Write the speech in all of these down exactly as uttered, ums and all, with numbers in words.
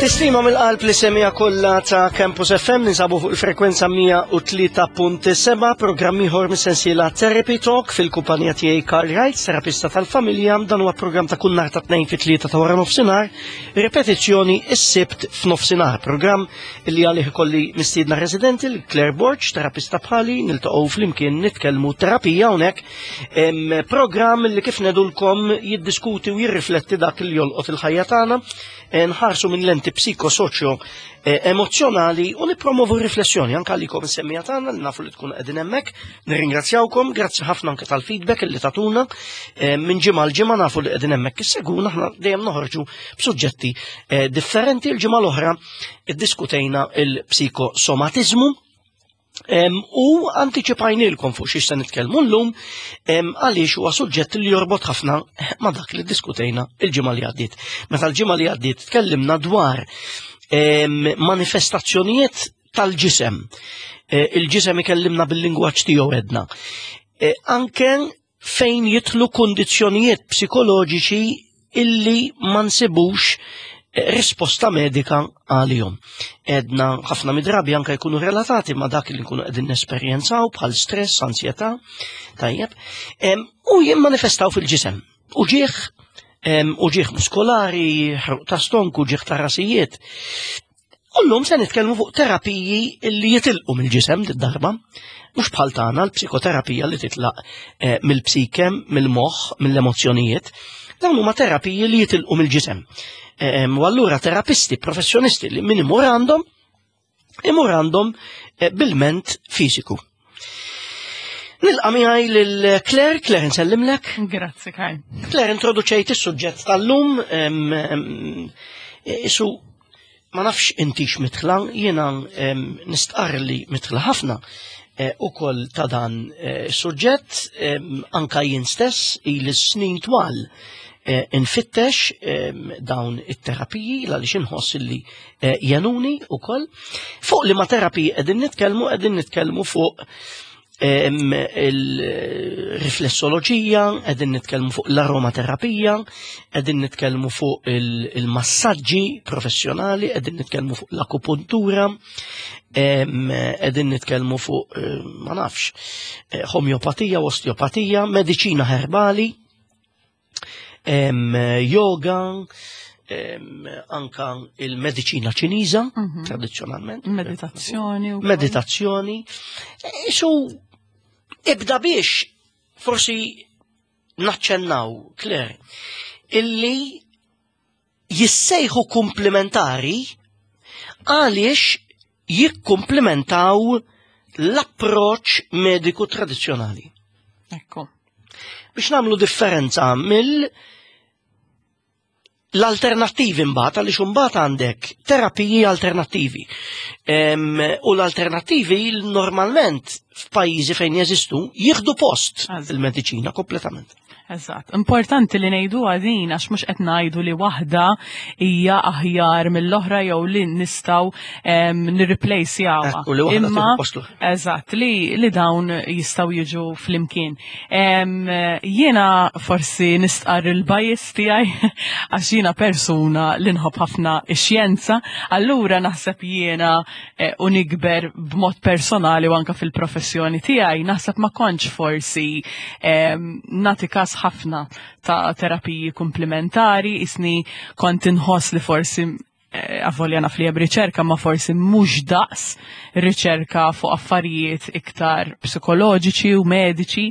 Stima mill-qalb li semija kollha ta' Campus F M, ninsabu fuq il-frekwenza mija u tlieta punt seba', programm ieħor mis-sensiela Therapy Talk fil-kumpanija tiegħi Karl Wright, terapista tal-familja. Dan huwa programm ta' kull nhar ta' tnejn fit-tlieta ta' wara nofsinhar, ripetizzjoni is-Sibt f'nofsinhar, programm li għalih ikolli mistiedna residenti l Claire Borg, terapista bħali, niltaqgħu flimkien nitkellmu terapija hawnhekk. Em, Programm li kif ngħidulkom jiddiskuti u jirrifletti dak li jolqot il-ħajja tagħna, eh, nħarsu minn lenti psikosoċjo eh, emozjonali u nipromovu riflessjoni anke għalikom is-semmija tagħna li nafu li tkun qegħdin hemmhekk. Nirringrazzjawkom, grazzi ħafna anke tal-feedback li tatuna. Eh, minn ġimgħa l ġimgħa nafu li qegħdin hemmhekk isseguna, aħna dejjem noħorġu b'suġġetti eh, differenti. Il-ġimgħa l-oħra iddiskutejna il-psikosomatizmu Em, u antiċipajnilkom fuq xiex se nitkellmu llum em, għaliex huwa suġġett li jorbot ħafna ma' dak li diskutejna il-ġimgħa li għaddiet. Meta l-ġimgħa li għaddiet tkellimna dwar em, manifestazzjonijiet tal-ġisem. E, Il-ġisem ikellimna bil-lingwaġġ tiegħu edna. E, Anke fejn jidħlu kundizzjonijiet psikoloġiċi illi ma nsibux eh, risposta medika għalihom. Edna ħafna midrabi anka jkunu relatati ma dak li nkunu qegħdin nesperjenzaw bħal stress, ansjetà, tajjeb, em, u jimmanifestaw fil-ġisem. Uġieħ, em, uġieħ muskolari, ħruq ta' stonku, uġieħ ta' rasijiet. U llum se nitkellmu fuq terapiji li jitilqu mill-ġisem d-darba, mhux bħal tagħna l-psikoterapija li titlaq eh, mill-psike, mill-moħħ, mill-emozzjonijiet. Dawn huma terapiji li jitilqu mill-ġisem. Em, U allura terapisti, professjonisti li min imur għandhom, imur għandhom eh, bil-ment fiżiku. Nilqa' miegħi lil Claire. Claire, nsellimlek. Grazzi, Karl. Claire, introduċejt is-suġġett tal-lum, em, em, isu ma nafx intix mitħla, jiena em, nistqarr li mitħla ħafna eh, ukoll ta' dan eh, suġġett, em, anka jien stess ili snin twal eh, infittex em, dawn it-terapiji għaliex inħoss li eh, jgħinuni ukoll. Fuq li ma terapiji qegħdin nitkellmu? Qegħdin nitkellmu fuq em, il-riflessoloġija, qegħdin nitkellmu fuq l-aromaterapija, qegħdin nitkellmu fuq il- il-massaġġi professjonali, qegħdin nitkellmu fuq l-akupuntura, em, qegħdin nitkellmu fuq, eh, ma nafx, eh, homeopatija, osteopatija, mediċina herbali, em, yoga, em, anka il-mediċina Ċiniża, Mhm. tradizzjonalment. Meditazzjoni. U Meditazzjoni. Isu, ibda biex forsi naċċennaw, Claire, illi jissejħu komplementari għaliex jikkomplementaw l-approċ mediku tradizzjonali. Ekku. Biex nagħmlu differenza mill l-alternattivi mbagħad, għaliex imbagħad għandek terapiji alternattivi. Em, u l-alternattivi normalment f'pajjiżi fejn jeżistu jieħdu post Eżatt. il-mediċina kompletament. Eżatt. Importanti li ngħidu għadin għax mhux qed ngħidu li waħda hija aħjar mill-oħra jew li nistgħu nirreplacejawha. Ekku, li waħda Imma tieħu post l-oħra. Eżatt, li, li dawn jistgħu jiġu flimkien. Em, Jiena forsi nistqar il-bias tiegħi għax jiena persuna li nħobb ħafna ix-xjenza, allura naħseb jiena eh, u nikber b'mod personali u anka fil-professjoni tiegħi naħseb ma kontx forsi em, nagħti kas ħafna ta' terapiji komplementari, isni kont inħoss li forsi eh, avolja naf li hemm riċerka, ma forsi mhux daqs riċerka fuq affarijiet iktar psikoloġiċi u mediċi.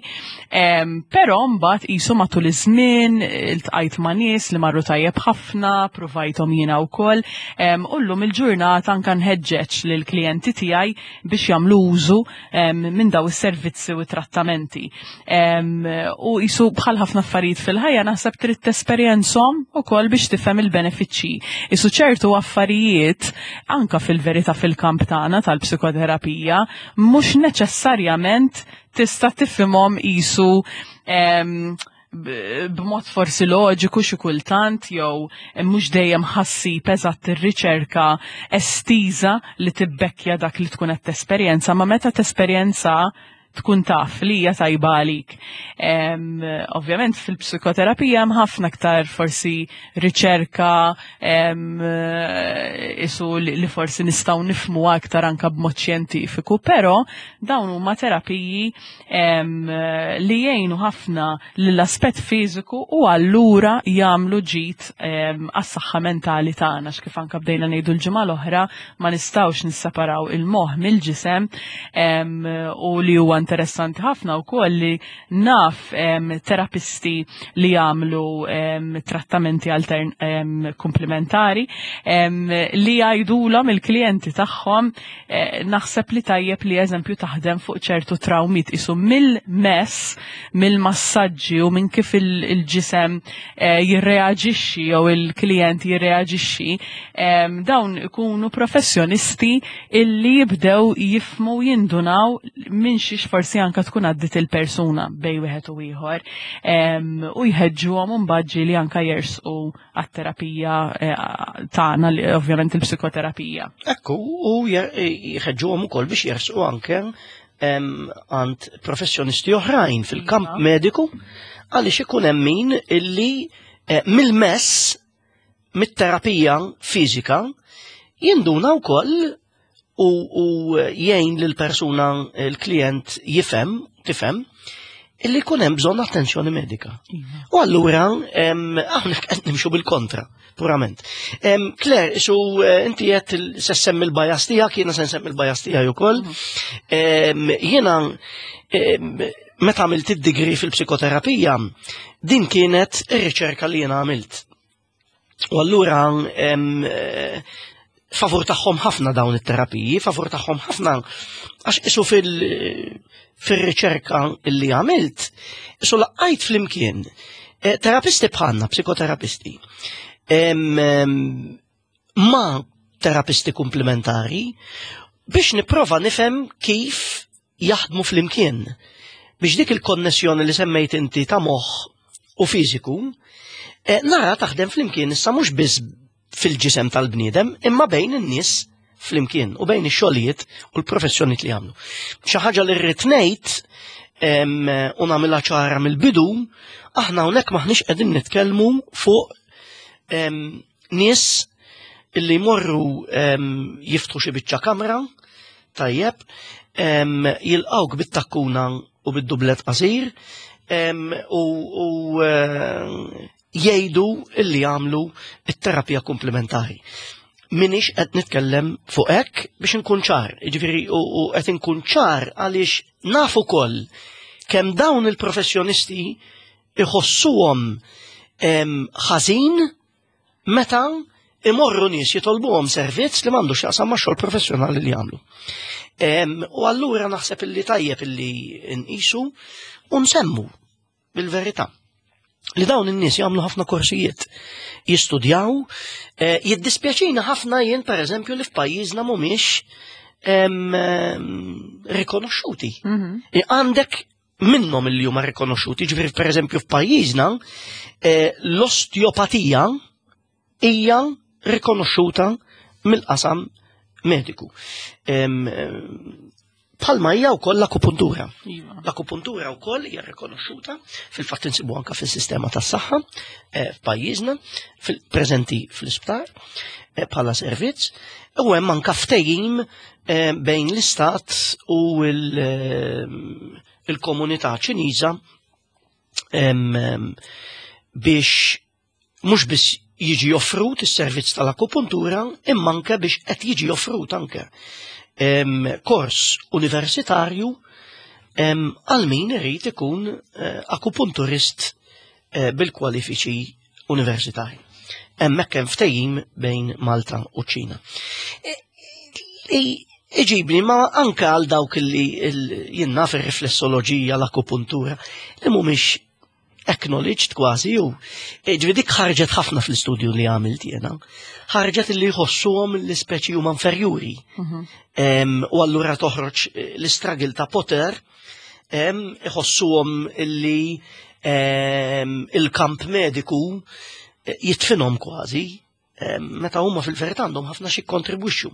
Em, Però mbagħad qisu matul iż-żmien iltqajt ma' nies li marru tajjeb ħafna, provajthom jiena wkoll. Em, U llum il-ġurnata anka nħeġġeġ lill-klijenti tiegħi biex jagħmlu użu em, minn daw is-servizzi u trattamenti. Em, U qisu bħal ħafna affarijiet fil-ħajja, naħseb trid tesperjenzhom ukoll biex tifhem il-benefiċċji. Isu ċertu affarijiet anka fil-verità fil-kamp tagħna tal-psikoterapija mhux neċessarjament tista' tifhimhom qisu em, b- b'mod forsi loġiku xi kultant jew mhux dejjem ħassib eżatt ir-riċerka estiża li tibbekkja dak li tkun qed tesperjenza, ma meta tesperjenza tkun taf li hija tajba għalik. Ovvjament fil-psikoterapija hemm ħafna aktar forsi riċerka isu li forsi nistgħu nifhmu aktar anka b'mod xjentifiku, però dawn huma terapiji li jgħinu ħafna lill-aspett fiżiku u allura jagħmlu ġid għas-saħħa mentali tagħna, kif anka bdejna ngħidu l-ġimgħa l-oħra, ma nistgħux nisseparaw il-moħħ mill-ġisem. U li huwa interessanti ħafna wkoll li naf terapisti li jagħmlu trattamenti altern komplementari li jgħidulhom il-klijenti tagħhom, eh, naħseb li tajjeb li eżempju taħdem fuq ċertu trawmit isu mill-mess, mill-massaġġi u minn kif il-ġisem eh, jirreaġixxi jew il-klijent jirreaġixxi, dawn ikunu professjonisti illi jibdew jifmu, jindunaw minn xiex forsi anka tkun għaddit il-persuna bej wieħed u ieħor, u jħeġġuhom imbagħad li anka jersqu għat-terapija eh, tagħna, ovvjament il-psikoterapija. Ekku, u jħeġġuhom ukoll biex jersqu anke għand professjonisti oħrajn fil-kamp iva. mediku, għaliex ikun hemm min illi eh, mill-mess, mit-terapija fiżika, jinduna wkoll u, u jgħin lil persuna, il-klient jifhem, tifhem illi jkun hemm bżonn attenzjoni medika. Iva. U allura hawnhekk qed nimxu bil-kontra, purament. Claire, su eh, inti qed se semmi l-bias tiegħek, jiena se nsemmi l-bias tiegħi ukoll. Mhm. Jiena meta għamilt id-degree fil-psikoterapija, din kienet ir-riċerka li jiena għamilt. U allura eh, favur tagħhom ħafna dawn it-terapiji, favur tagħhom ħafna, għax isu fil- fil-riċerka illi għamilt, isu laqajt flimkien eh, terapisti bħalna, psikoterapisti, ma terapisti komplementari, biex niprova nifhem kif jaħdmu flimkien. Biex dik il-konnessjoni li semmejt inti ta' moħħ u fiżiku, eh, nara taħdem flimkien issa mhux biss fil-ġisem tal-bniedem, imma bejn in-nies flimkien u bejn ix-xogħlijiet u l-professjonijiet li jagħmlu. Xi ħaġa li rrid ngħid u nagħmilha ċara mill-bidu, aħna hawnhekk maħniex qegħdin nitkellmu fuq nies illi jmorru jiftħu xi biċċa kamra, tajjeb, jilqawk bit-takkuna u bid-dublet qasir u jgħidu illi jagħmlu it-terapija komplementari. Minix qed nitkellem fuq hekk biex inkun ċar, jiġifieri u qed inkun ċar għaliex naf ukoll kemm dawn il-professjonisti iħossuhom ħażin meta imorru nies jitolbuhom servizz li m'għandux x'jaqsam max-xogħol professjonali li jagħmlu. U allura naħseb illi tajjeb illi nqisu u nsemmu bil-verità li dawn in-nies jagħmlu ħafna korsijiet, jistudjaw, eh, jiddispjaċina ħafna jien pereżempju li f'pajjiżna mhumiex rikonoxxuti. Mhm. Għandek minnhom li huma rikonoxxuti, ġifieri pereżempju f'pajjiżna eh, l-osteopatija hija rikonoxxuta mill-qasam mediku. Bħalma hija wkoll l-akupuntura. Iva. L-akupuntura wkoll hija rikonoxxuta, fil-fatt insibu anke fis-sistema tas-saħħa eh, f'pajjiżna, fil-preżenti fl-isptar eh, bħala servizz, u hemm anke ftehim eh, bejn l-istat u il-komunità Ċiniża biex mhux biss jiġi offrut is-servizz tal-akupuntura, imma anke biex qed jiġi offrut anke kors universitarju għal min irid ikun eh, akupunturist eh, bil-kwalifiċi universitarji. Hemmhekk hemm ftehim bejn Malta u Ċina. E, iġibni ma anke għal dawk li jien naf ir-riflessoloġija, l-akupuntura, li mhumiex acknowledged kważi ju. Ġifieri dik ħarġet ħafna fl-istudju li għamilt jiena. Ħarġet li jħossuhom l-ispeċi huma inferjuri. Mhm. U allura toħroġ eh, l-istruggle ta' poter, iħossuhom illi il-kamp mediku eh, jitfinhom kważi. Meta huma fil-verità għandhom ħafna xi kontribwixxu.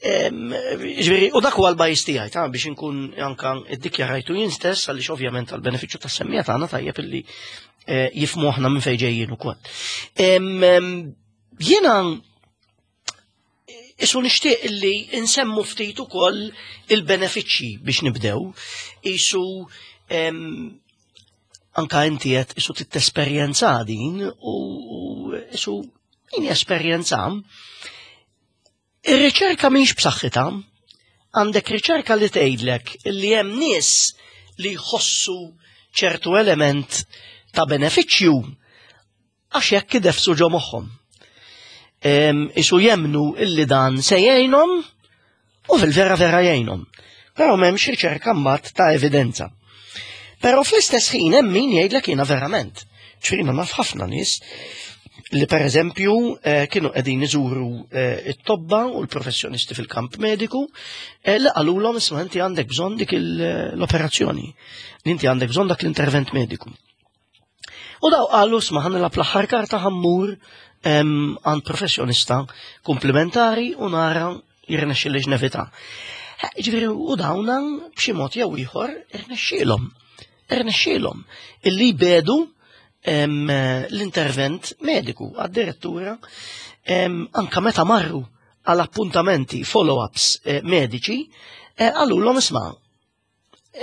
Ġifieri, u dak huwa l-bias tiegħi ta' biex inkun anka iddikjarajtu jien stess, għaliex ovvjament għall-benefiċċju tas-semmiegħa tagħna tajjeb illi eh, jifhmu aħna minn fejn ġejjin ukoll. Jiena isu nixtieq illi insemmu ftit ukoll il-benefiċċji biex nibdew. Isu anka inti qed isu titesperjenza din u isu jien esperjenza. Ir-riċerka mhix b'saħħitha. Għandek riċerka li tgħidlek li hemm nies li jħossu ċertu element ta' benefiċċju għax jekk idefsu ġo moħħhom. Isu jemnu illi dan se jgħinhom u fil-vera vera jgħinhom. Però m'hemmx riċerka mbagħad ta' evidenza. Però fl-istess ħin hemm min jgħidlek jiena verament. Ċrina naf ħafna nies li per eżempju eh, kienu qegħdin iżuru eh, it-tobba u l-professjonisti fil-kamp mediku eh, li qalulhom, isma', inti għandek bżonn dik l-operazzjoni, inti għandek bżonn dak l-intervent mediku. U daw qalu, isma', ħa nilgħab l-aħħar karta, ħa mmur għand professjonista komplementari u nara jirnexxilix nevita. Ġifieri, u dawna b'xi mod jew ieħor irnexxielhom. Irnexxielhom illi jbedu l-intervent mediku għad-direttura anka meta marru għal appuntamenti follow-ups eh, mediċi eh, qalulhom, isma',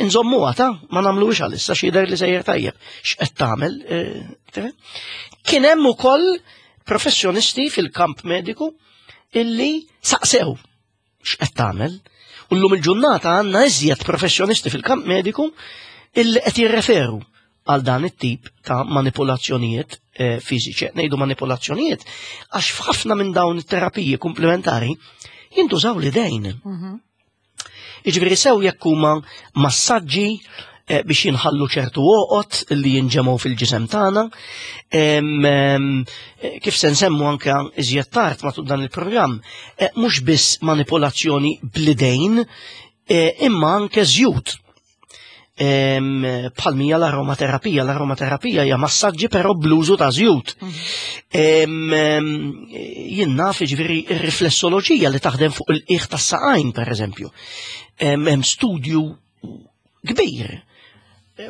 nżommu għata, ma nagħmlux għalissa, xi li sejjer tajjeb, x'qed tagħmel. Eh, kien hemm ukoll professjonisti fil-kamp mediku illi saqsew x'qed tagħmel. U llum il-ġurnata għandna iżjed professjonisti fil-kamp mediku illi qed jirreferu għal dan it-tip ta' manipolazzjonijiet eh, fiżiċi. Ngħidu manipolazzjonijiet għax f'ħafna minn dawn it-terapiji komplementari jintużaw l-idejn. Mhm. Jiġifieri sew jekk huma massaġġi eh, biex jinħallu ċertu għoqod li jinġemgħu fil-ġisem tagħna. Eh, kif se nsemmu anke iżjed tard matul dan il-programm, eh, mhux biss manipolazzjoni bl-idejn, imma anke żjut bħal mija l-aromaterapija. L-aromaterapija hija massaġġi però bl-użu ta' żjut. Mhm. Jien naf, ġifieri, ir-riflessoloġija li taħdem fuq il-qiegħ tas-saqajn, per eżempju. Hemm studju kbir,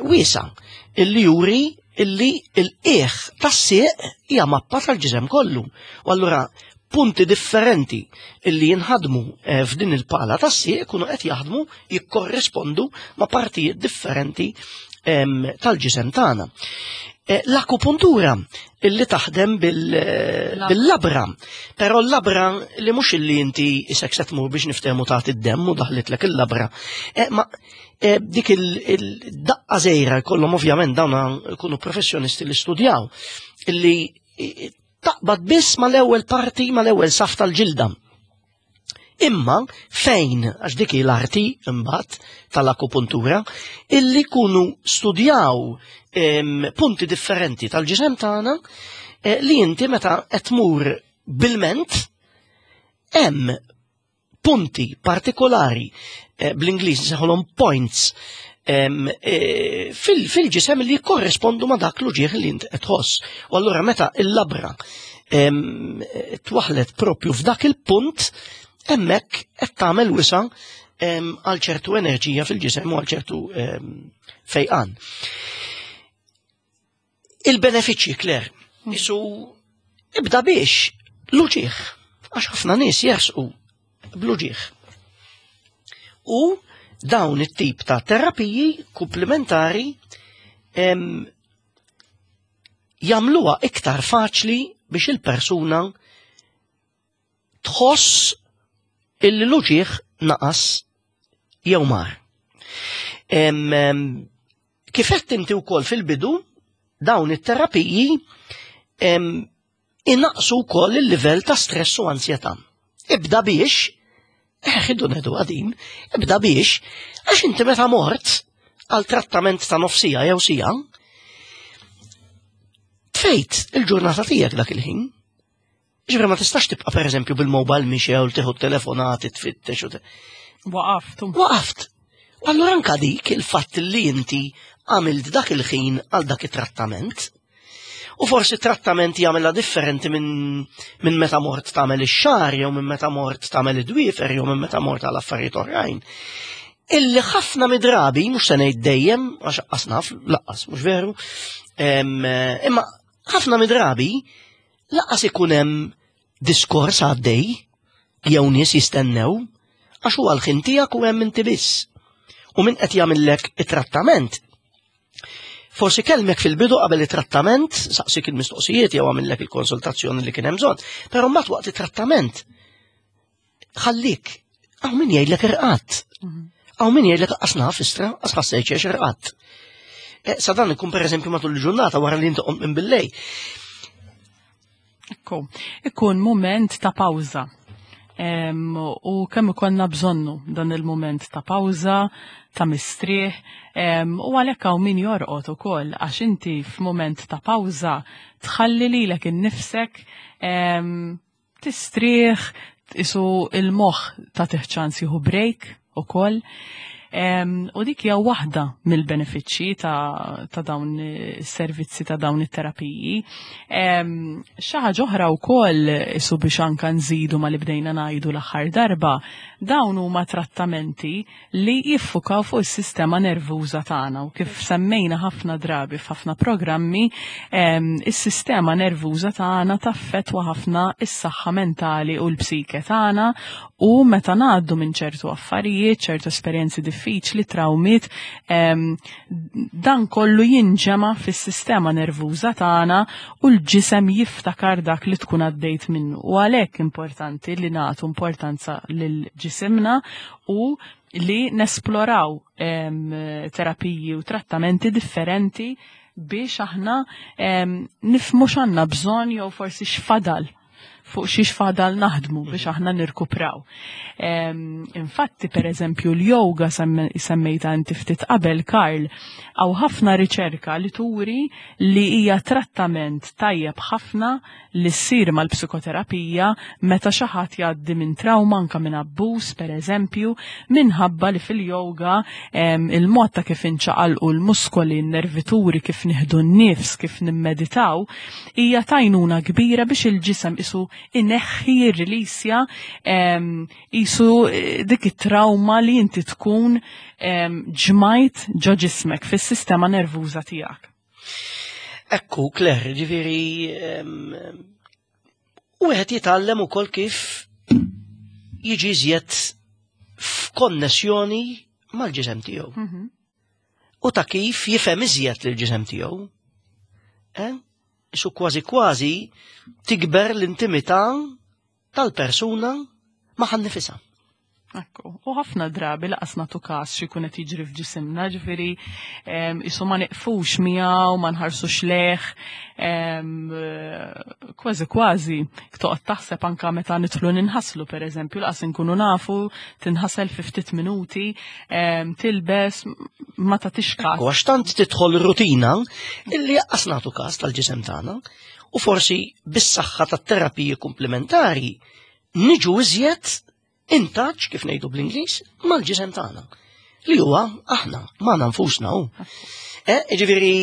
wiesa', illi juri illi il-qiegħ tas-sieq hija mappa tal-ġisem kollu. U allura punti differenti illi jinħadmu eh, f'din il-pala tas-sieq kunu qed jaħdmu, jikkorrispondu ma' partijiet differenti tal-ġisem tagħna. Eh, l-akupuntura illi taħdem bil-labra, però l-labra li mhux illi inti isek se tmur biex niftehmu tagħti id-demm u daħlitlek il-labra. Eh, ma dik il-daqqa żgħira jkollhom, ovvjament dawn ikunu professjonisti li studjaw, illi taqbad biss mal-ewwel parti, mal-ewwel saf tal-ġilda. Imma fejn, għax dik l-arti imbagħad tal-akupuntura, illi kunu studjaw em, punti differenti tal-ġisem tagħna eh, li inti meta qed tmur bil-ment hemm punti partikolari, eh, bl-Ingliż nsejħulhom points, eh, fil-ġisem li korrespondu ma dak l-uġieħ li int qed tħoss. U allura meta il-labra twaħlet propju f'dak il-punt, hemmhekk qed tagħmel wisa għal ċertu enerġija fil-ġisem u għal ċertu fejqan. Il-benefiċċji, Claire, isu ibda biex l-uġieħ, għax ħafna nies jersqu bl-uġieħ. U dawn it-tip ta' terapiji komplementari jagħmluha iktar faċli biex il-persuna tħoss illi l-uġieħ naqas jew mar. Kif qed inti wkoll fil-bidu, dawn it-terapiji inaqsu wkoll il-livell ta' stress u ansjetà. Ibda biex, ħidu nedu għadin, ibda biex, għax inti meta mort għal trattament ta' nofsija jew sija, tfejt il-ġurnata tiegħek dak il-ħin. Ġifieri ma tistax tibqa' per eżempju bil-mobile mixew, tieħu telefonati, tfittex u Waqaft. Waqaft. U allura anka dik il-fatt li inti għamilt dak il-ħin għal dak it-trattament. U forsi trattament jagħmilha differenti minn min meta mort tagħmel ix-xagħar jew minn meta mort tagħmel id-dwiefer jew minn meta mort għal affarijiet oħrajn. Illi ħafna midrabi, mhux se ngħid dejjem, għax lanqas naf, lanqas, mhux veru, imma ħafna midrabi lanqas ikun hemm diskors għaddej jew nies jistennew għax huwa l-ħin tiegħek u hemm inti biss. U min qed jagħmellek it-trattament forsi kellmek fil-bidu qabel it-trattament, saqsik il-mistoqsijiet jew għamillek il-konsultazzjoni li kien hemm bżonn, però mbagħad waqt it-trattament ħallik, hawn min jgħidlek irqadt. Hawn min jgħidlek qas naf istra, qas ħassejt xiex irqadt. Eh, sa dan ikun pereżempju matul il-ġurnata wara li inti qomt minn billejl. Ekku, ikun moment ta' pawża. U kemm ikollna bżonnu dan il-moment ta' pawża, ta' mistrieħ, u għalhekk hawn min jorqod ukoll għax inti f'mument ta' pawża tħalli lilek innifsek tistrieħ, isu il-moħħ tagħtih ċans jieħu break ukoll. U dik hija waħda mill-benefiċċji ta', ta dawn is-servizzi ta' dawn it-terapiji. Xi ħaġa oħra wkoll isu biex anka nżidu ma li bdejna ngħidu l-aħħar darba, dawn huma trattamenti li jiffukaw fuq is-sistema nervuża tagħna u kif semmejna ħafna drabi f'ħafna programmi, is-sistema nervuża tagħna taffettwa ħafna is-saħħa mentali u l-psike tagħna u meta ngħaddu minn ċertu affarijiet, ċertu esperjenzi diffiċli, trawmiet, dan kollu jinġema fis-sistema nervuża tagħna u l-ġisem jiftakar dak li tkun għaddejt minnu. U għalhekk importanti li nagħtu importanza lil ġisimna u li nesploraw terapiji u trattamenti differenti biex aħna nifhmu x'għandna bżonn jew forsi x'fadal fuq xiex fadal naħdmu biex aħna nirkupraw. Infatti, per eżempju, l-yoga semmejta inti ftit qabel, Karl, hawn ħafna riċerka li turi li hija trattament tajjeb ħafna li ssir mal-psikoterapija meta xi ħadd jgħaddi minn trauma anka minn abbuż, per eżempju, minħabba li fil-yoga il-mod ta' kif inċaqalqu l-muskoli, n-nervituri, kif nieħdu n-nifs, kif nimmeditaw, hija t'għajnuna kbira biex il-ġisem isu ineħħi jirrilisja isu eh, dik it-trauma li inti tkun ġmajt ġo ġismek fis-sistema nervuża tiegħek. Ekku, Claire, ġifieri, u wieħed jitgħallem ukoll kif jiġi iżjed f'konnessjoni mal-ġisem tiegħu. Mhm. U ta' kif jifhem iżjed lill-ġisem tiegħu. Eh? Isu kważi kważi tikber l-intimità tal-persuna ma' nifisha. Ekku, u ħafna drabi lanqas nagħtu kas x'ikun qed jiġri f'ġisimna, ġifieri isu ma neqfux miegħu, ma nħarsux lejh, kważi kważi toqgħod taħseb anka meta nidħlu ninħaslu pereżempju, lanqas inkunu nafu tinħasel fi ftit minuti, tilbes ma tagħtix kas. Għax tant tidħol rutina illi lanqas nagħtu kas tal-ġisem tagħna u forsi bis-saħħa tat-terapiji komplementari niġu iżjed in touch, kif ngħidu bl-Ingliż, mal-ġisem tagħna. Li huwa aħna, magħna nfusna hu. Eh, ġifieri,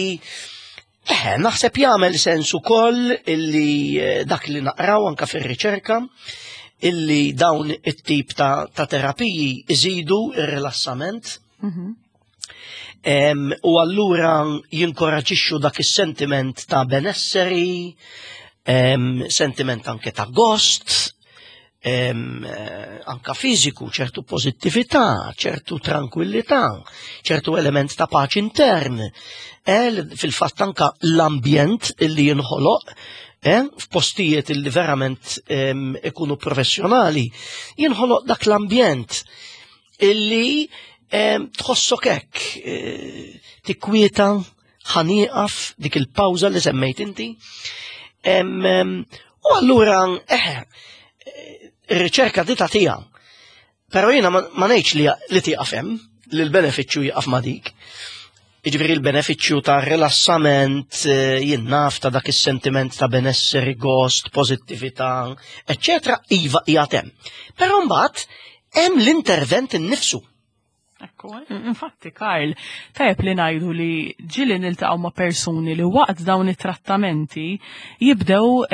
eh, naħseb jagħmel sens ukoll illi eh, dak li naqraw anka fir-riċerka illi dawn it-tip ta', ta terapiji iżidu ir-rilassament. Mm -hmm. U allura jinkoraġixxu dak is-sentiment ta' benesseri, sentiment anke ta' gost, eh, anka fiżiku, ċertu pozittività, ċertu tranquillità, ċertu element ta' paċi intern. Eh, fil-fatt anka l-ambjent illi jinħoloq eh, f'postijiet illi verament ikunu professjonali, jinħoloq dak l-ambjent illi tħossok hekk eh, tikwieta ħa nieqaf dik il-pawża li semmejt inti. U allura, eh, ir-riċerka di tagħtiha. Però jiena ma ngħidx li li tieqaf hemm, li l-benefiċċju jieqaf ma' dik. Jiġifieri l-benefiċċju ta' rilassament, eh, jien naf ta' dak is-sentiment ta' benesseri, gost, pożittività, eċċetera, iva qiegħed hemm. Però mbagħad hemm l-intervent innifsu. Ekku. Ekku, infatti Karl, tajjeb li ngħidu li ġieli niltaqgħu ma' persuni li waqt dawn it-trattamenti jibdew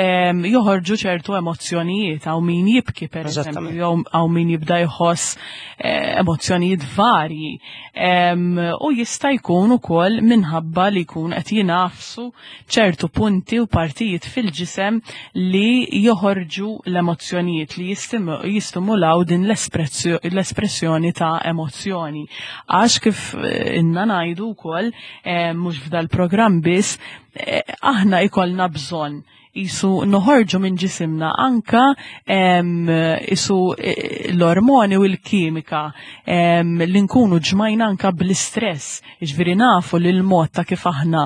joħorġu ċertu emozzjonijiet, hawn min jibki per eżempju, jew hawn min jibda jħoss eh, emozzjonijiet varji. U jista' jkun ukoll minħabba li jkun qed jingħafsu ċertu punti u partijiet fil-ġisem li joħorġu l-emozzjonijiet li jistimulaw din l-espressjoni ta' emozzjoni. Għax kif eh, inna ngħidu wkoll eh, mhux f'dal-programm biss, eh, aħna ikollna bżonn jisu noħorġu minn ġisimna anka jisu e, l-ormoni u l-kimika li nkunu ġmajna anka bl-istress. Ġifieri nafu li l-mod ta' kif aħna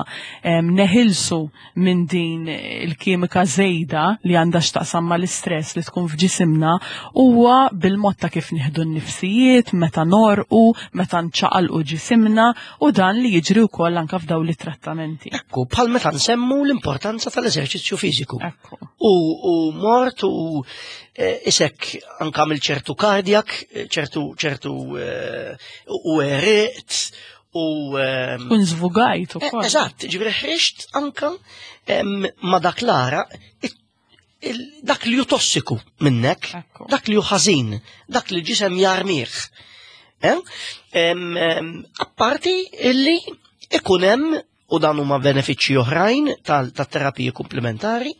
neħilsu minn din il-kimika żejda li għandha x'taqsam mal-istress li tkun f'ġisimna huwa bil-mod ta' kif nieħdu n-nifsijiet, meta norqu, meta nċaqalqu ġisimna u dan li jiġri wkoll anka f'dawn it-trattamenti. Ekku, bħal meta nsemmu l-importanza tal-eżerċizzju fiżiku. U, u mort u e, isek anka mill ċertu kardjak, ċertu ċertu e, u eriqt u. Kun żvugajt ukoll. Eżatt, ġifieri ħriġt anka ma dak l-ara dak li hu tossiku minnek, dak li hu ħażin, dak li ġisem jarmih. Apparti illi ikun hemm u dan huma benefiċċji oħrajn tal-terapiji komplementari,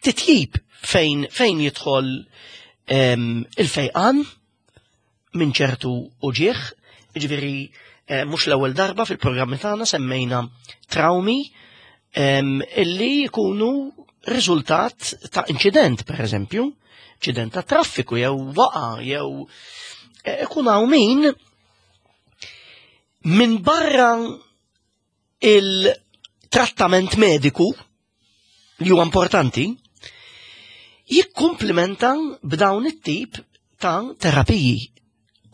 titjib fejn fejn jidħol il-fejqan minn ċertu uġieħ, ġifieri eh, mhux l-ewwel darba fil-programmi tagħna semmejna traumi illi jkunu riżultat ta' inċident, per eżempju, inċident ta' traffiku jew waqa jew eh, ikun hawn min minn barra il-trattament mediku li huwa importanti, jikkumplimenta b'dawn it-tip ta' terapiji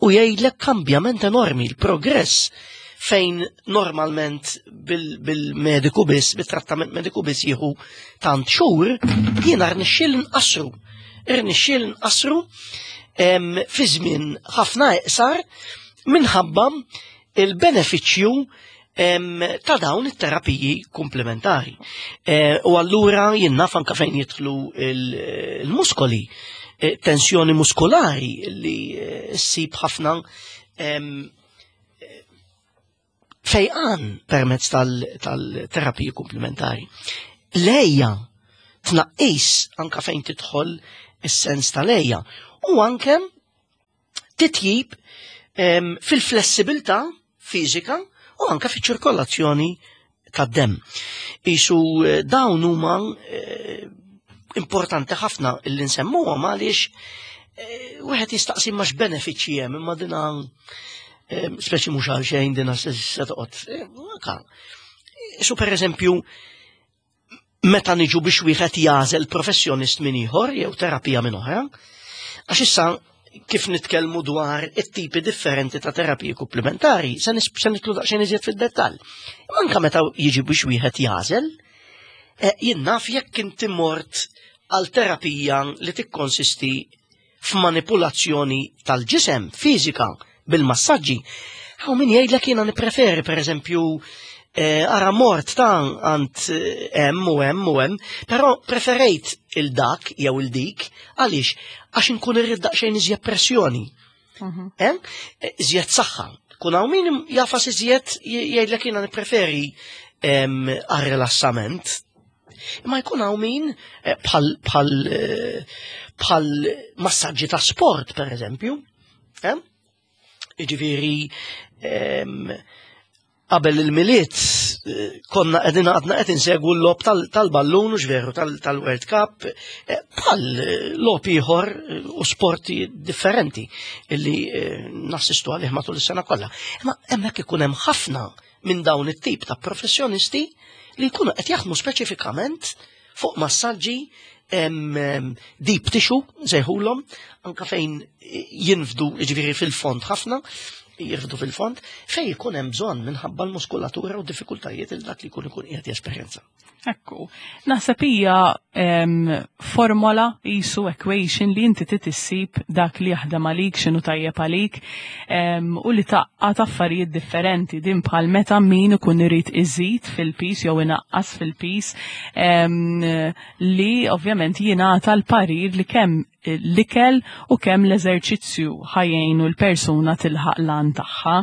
u jgħidlek kambjament enormi l-progress fejn normalment bil-mediku biss, bil-trattament mediku biss jieħu tant xhur, jiena rnexxiel nqassru. Rnexxiel nqassru fi żmien ħafna iqsar minħabba il-benefiċċju ta' dawn it-terapiji komplementari. E, u allura jien naf anka fejn jidħlu il-muskoli, e, tensjoni muskolari li e, ssib ħafna fejqan permezz tal-terapiji komplementari. Lejja tnaqqis anka fejn tidħol is-sens tal-lejja u anke titjib fil-flessibilità fiżika u anke fiċ-ċirkolazzjoni tad-demm. Isu eh, dawn huma eh, importanti ħafna illi nsemmuhom għaliex eh, wieħed jistaqsi ma x'benefiċċji hemm imma dina speċi mhux għal xejn dina se toqgħod. Isu pereżempju meta niġu biex wieħed jagħżel professjonist minn ieħor jew terapija minn oħra, għax issa kif nitkellmu dwar it-tipi differenti ta' terapiji komplementari, se nitlu daqsxejn iżjed fid-dettall. Anka meta jiġi biex wieħed jagħżel, eh, jien naf jekk inti mort għal terapija li tikkonsisti f'manipulazzjoni tal-ġisem fiżika bil-massaġġi, hawn min jgħidlek jiena nippreferi pereżempju eh, ara mort ta' għand hemm u hemm u hemm, però preferejt il-dak jew il-dik għaliex għax inkun irrid daqsxejn iżjed pressjoni. Mhm. Eh? Iżjed saħħa. Kun hawn min jafas iżjed jgħidlek jiena nippreferi għar-rilassament. Imma jkun hawn min eh, bħal bħal eh, bħal massaġġi ta' sport per eżempju. Jiġifieri qabel il-Milied eh, konna qegħdin għadna qed insegwu l-logħob tal-ballun u veru tal-World Cup eh, bħal eh, logħob ieħor u sporti differenti illi nassistu għalih matul is-sena kollha. Imma hemmhekk ikun hemm ħafna minn dawn it-tip ta' professjonisti li jkunu qed jaħdmu speċifikament fuq massaġġi deep tissue nsejħulhom anka fejn jinfdu jiġifieri fil-fond ħafna jirfdu fil-fond, fej jkun hemm bżonn minħabba l-muskulatura u diffikultajiet il dak li jkun ikun qiegħed jesperjenza. Ekku. Naħseb hija formola jisu equation li inti trid issib dak li jaħdem għalik, x'inhu tajjeb għalik, u li tgħaqqad affarijiet differenti din bħal meta min ikun irid iżid fil-piż jew inaqqas fil-piż, li ovvjament jingħata l-parir li kemm l-ikel u kemm l-eżerċizzju ħa jgħinu l-persuna tilħaq l-għan tagħha.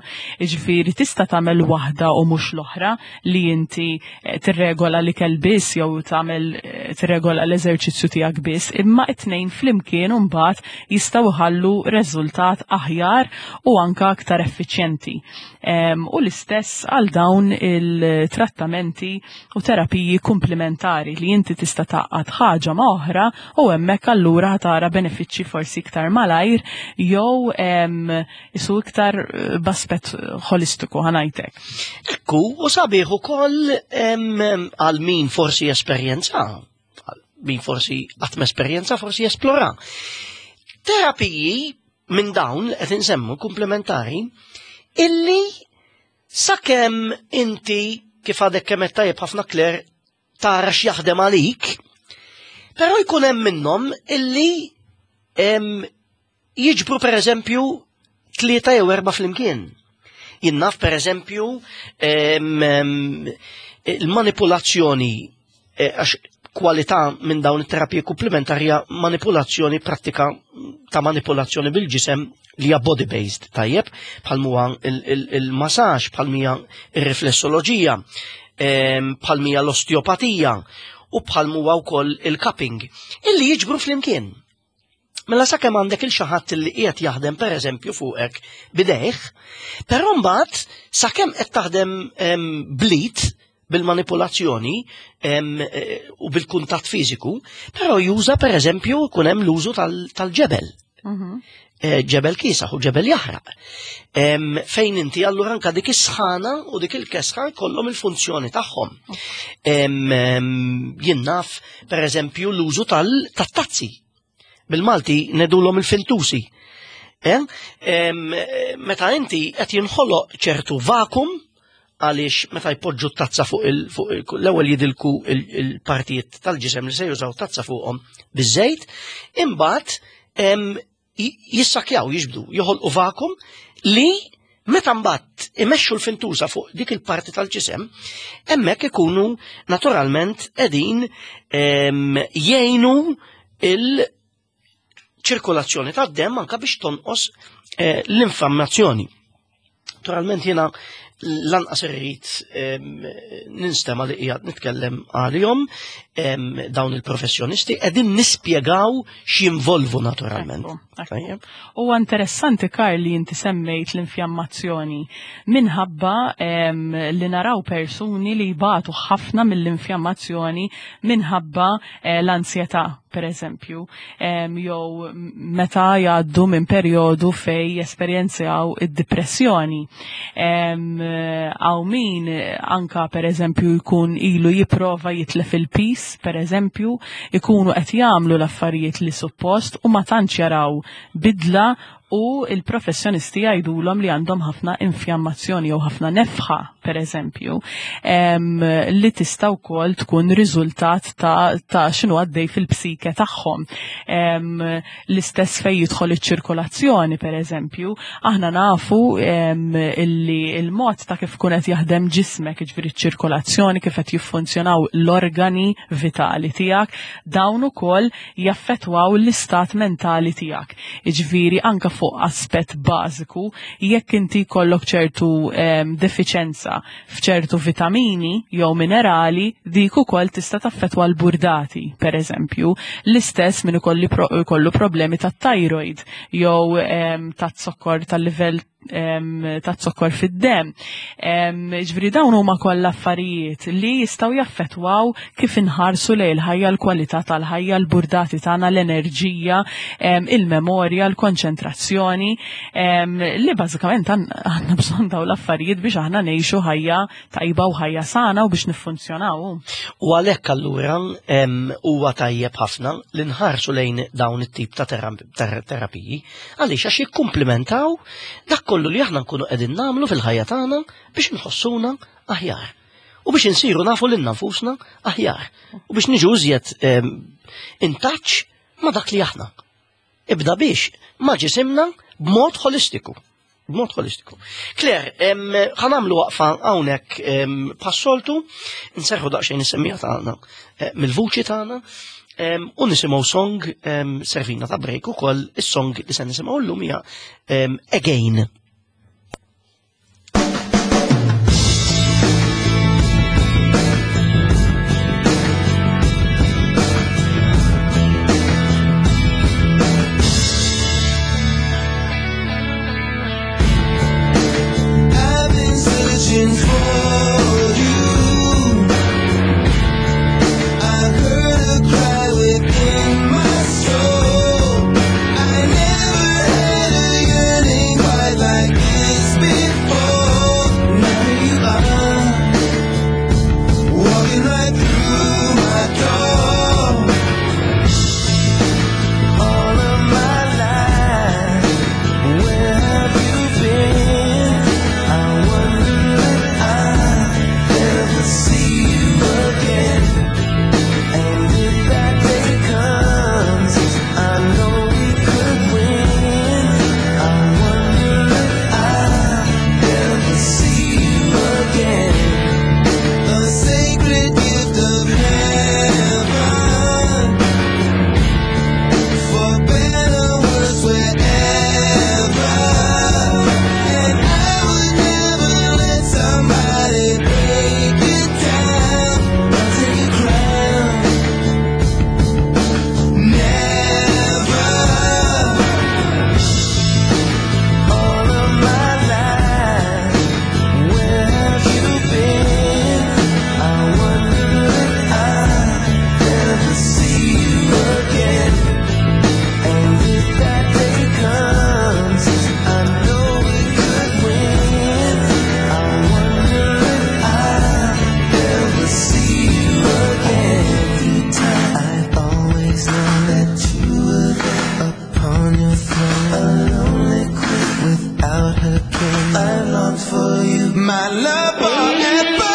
Jiġifieri tista' tagħmel waħda u mhux l-oħra, li inti eh, tirregola l-ikel biss jew tagħmel eh, tirregola l-eżerċizzju tiegħek biss, imma it-tnejn flimkien mbagħad jistgħu jħallu riżultat aħjar u anka aktar effiċjenti. U l-istess għal dawn il-trattamenti u terapiji komplementari li inti tista' tgħaqqad ħaġa ma' oħra u hemmhekk allura tara benefiċċji forsi iktar malajr jew isu iktar eh, b'aspett holistiku, ħa ngħidlek. Ekku, u sabiħ ukoll għal min forsi esperjenza, min forsi qatt esperjenza, forsi esplora. Terapiji minn dawn qed insemmu komplementari illi sakemm inti, kif għadek kemm tajjeb ħafna, Claire, tara x'jaħdem għalik, però jkun hemm minnhom illi jiġbru per eżempju tlieta jew erba' flimkien. Jien naf, per eżempju, il-manipulazzjoni, eh, għax kwalità minn dawn it-terapiji komplementarja manipulazzjoni, prattika ta' manipulazzjoni bil-ġisem li hija body based, tajjeb, bħal huwa il-massage, bħal mija ir-riflessoloġija, bħal mija l-osteopatija u bħal huwa wkoll il-cupping, illi jiġbru flimkien. Mela sakemm għandek lil xi ħadd li qiegħed jaħdem, pereżempju, fuqek bidejh, però mbagħad sakemm qed taħdem bl-id bil-manipolazzjoni eh, u bil-kuntatt fiżiku, però juża, pereżempju, jkun hemm l-użu tal-ġebel. Mhm. Eh, ġebel kiesaħ u ġebel jaħraq. Fejn inti allura anka dik is-sħana u dik il-kesħa kollhom il-funzjoni tagħhom. Jien naf, pereżempju, l-użu tal-tazzi. Bil-Malti ngħidulhom il-fintusi. Meta inti qed jinħoloq ċertu vakum, għaliex meta jpoġġu tazza fuq l-ewwel jidilku il-partijiet tal-ġisem li se jużaw tazza fuqhom biż-żejt, imbagħad jissakjaw, jiġbdu, joħolqu vakum li meta mbagħad imexxu l-fintusa fuq dik il-parti tal-ġisem, hemmhekk ikunu naturalment qegħdin jgħinu il-ċirkolazzjoni tad-dem anka biex tonqos eh, l-infammazzjoni. Naturalment jiena lanqas irrid ninstema li qiegħed nitkellem għalihom dawn il-professjonisti, qegħdin nispjegaw x'jinvolvu naturalment. Huwa interessanti, Karl, li inti semmejt l-infjammazzjoni minħabba li naraw persuni li jbatu ħafna mill-infjammazzjoni minħabba eh, l-ansjetà, per eżempju, jew meta jgħaddu minn perjodu fej jesperjenzaw id-depressjoni. Hawn min anka, per eżempju, jkun ilu jipprova jitlef il-piż, per eżempju, ikunu qed jagħmlu l-affarijiet li suppost u ma tantx jaraw bidla u il-professjonisti jgħidulhom li għandhom ħafna infjammazzjoni jew ħafna nefħa, per eżempju, li tista' wkoll tkun riżultat ta', ta x'inhu għaddej fil-psike tagħhom. L-istess fej jidħol iċ-ċirkolazzjoni, per eżempju, aħna nafu illi il-mod ta' kif kun qed jaħdem ġismek, jiġifieri ċ-ċirkolazzjoni, kif qed jiffunzjonaw l-organi vitali tiegħek, dawn ukoll jaffettwaw l-istat mentali tiegħek. Jiġifieri anka fuq aspett bażiku, jekk inti jkollok ċertu um, defiċenza f'ċertu vitamini jew minerali, dik ukoll tista' taffettwa l-burdati, per eżempju. L-istess min ikollu problemi tat-thyroid jew um, tat-zokkor, tal-livell ta' zokkor fid-dem. Ġifieri dawn huma kollha affarijiet li jistgħu jaffettwaw kif inħarsu lejn il-ħajja, l-kwalità tal-ħajja, l-burdati tagħna, l-enerġija, il-memorja, l-konċentrazzjoni, li bażikament għandna bżonn dawn l-affarijiet biex aħna ngħixu ħajja tajba u ħajja sana u biex niffunzjonaw. U għalhekk allura huwa tajjeb ħafna li nħarsu lejn dawn it-tip ta' terapiji, għaliex għax jikkumplementaw dak kollu li aħna nkunu qegħdin nagħmlu fil-ħajja tagħna biex nħossuna aħjar. U biex insiru nafu lilna nfusna aħjar. U biex niġu iżjed in touch ma' dak li aħna. Ibda biex ma' ġisimna b'mod holistiku. B'mod holistiku. Claire, ħa nagħmlu waqfa hawnhekk bħas-soltu, nserħu daqsxejn is-semmiegħa tagħna eh, mill-vuċi tagħna u nisimgħu song servina ta' break ukoll. Is-song li se nisimgħu llum hija Again. I've been searching for you. I heard a cry within my soul. I never had a yearning quite like this before. Now you are walking right through my door. All of my life, where have you been? I wonder if I'll ever see you again. And if that day comes, I know we could win. I wonder if I'll ever see you again. A sacred gift of heaven, for better worse, wherever. And I would never let somebody break you down or take your crown. Never. All of my life, where have you been? I wonder if I'll ever see you again. And if that day comes, I know we could win. I wonder if I'll ever see you again. I've always known that you were there upon your throne, a lonely queen without her king. I longed for you, my love forever.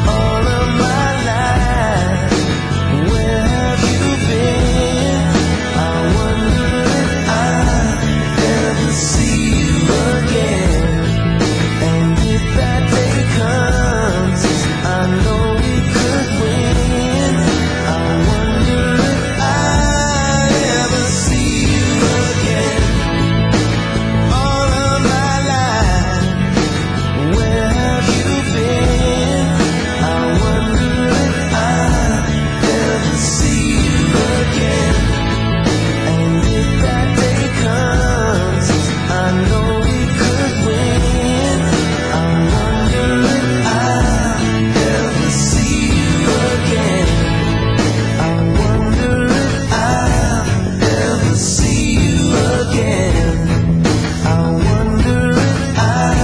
All of my life, where have you been? I wonder if I'll ever see you again. And if that day comes, I know we could win. I wonder if I'll ever see you again. All of my life, where have you been? I wonder if I'll ever see you again. And if that day comes, I know we could win. I wonder if I'll ever see you again. I wonder if I'll ever see you again. I wonder if I'll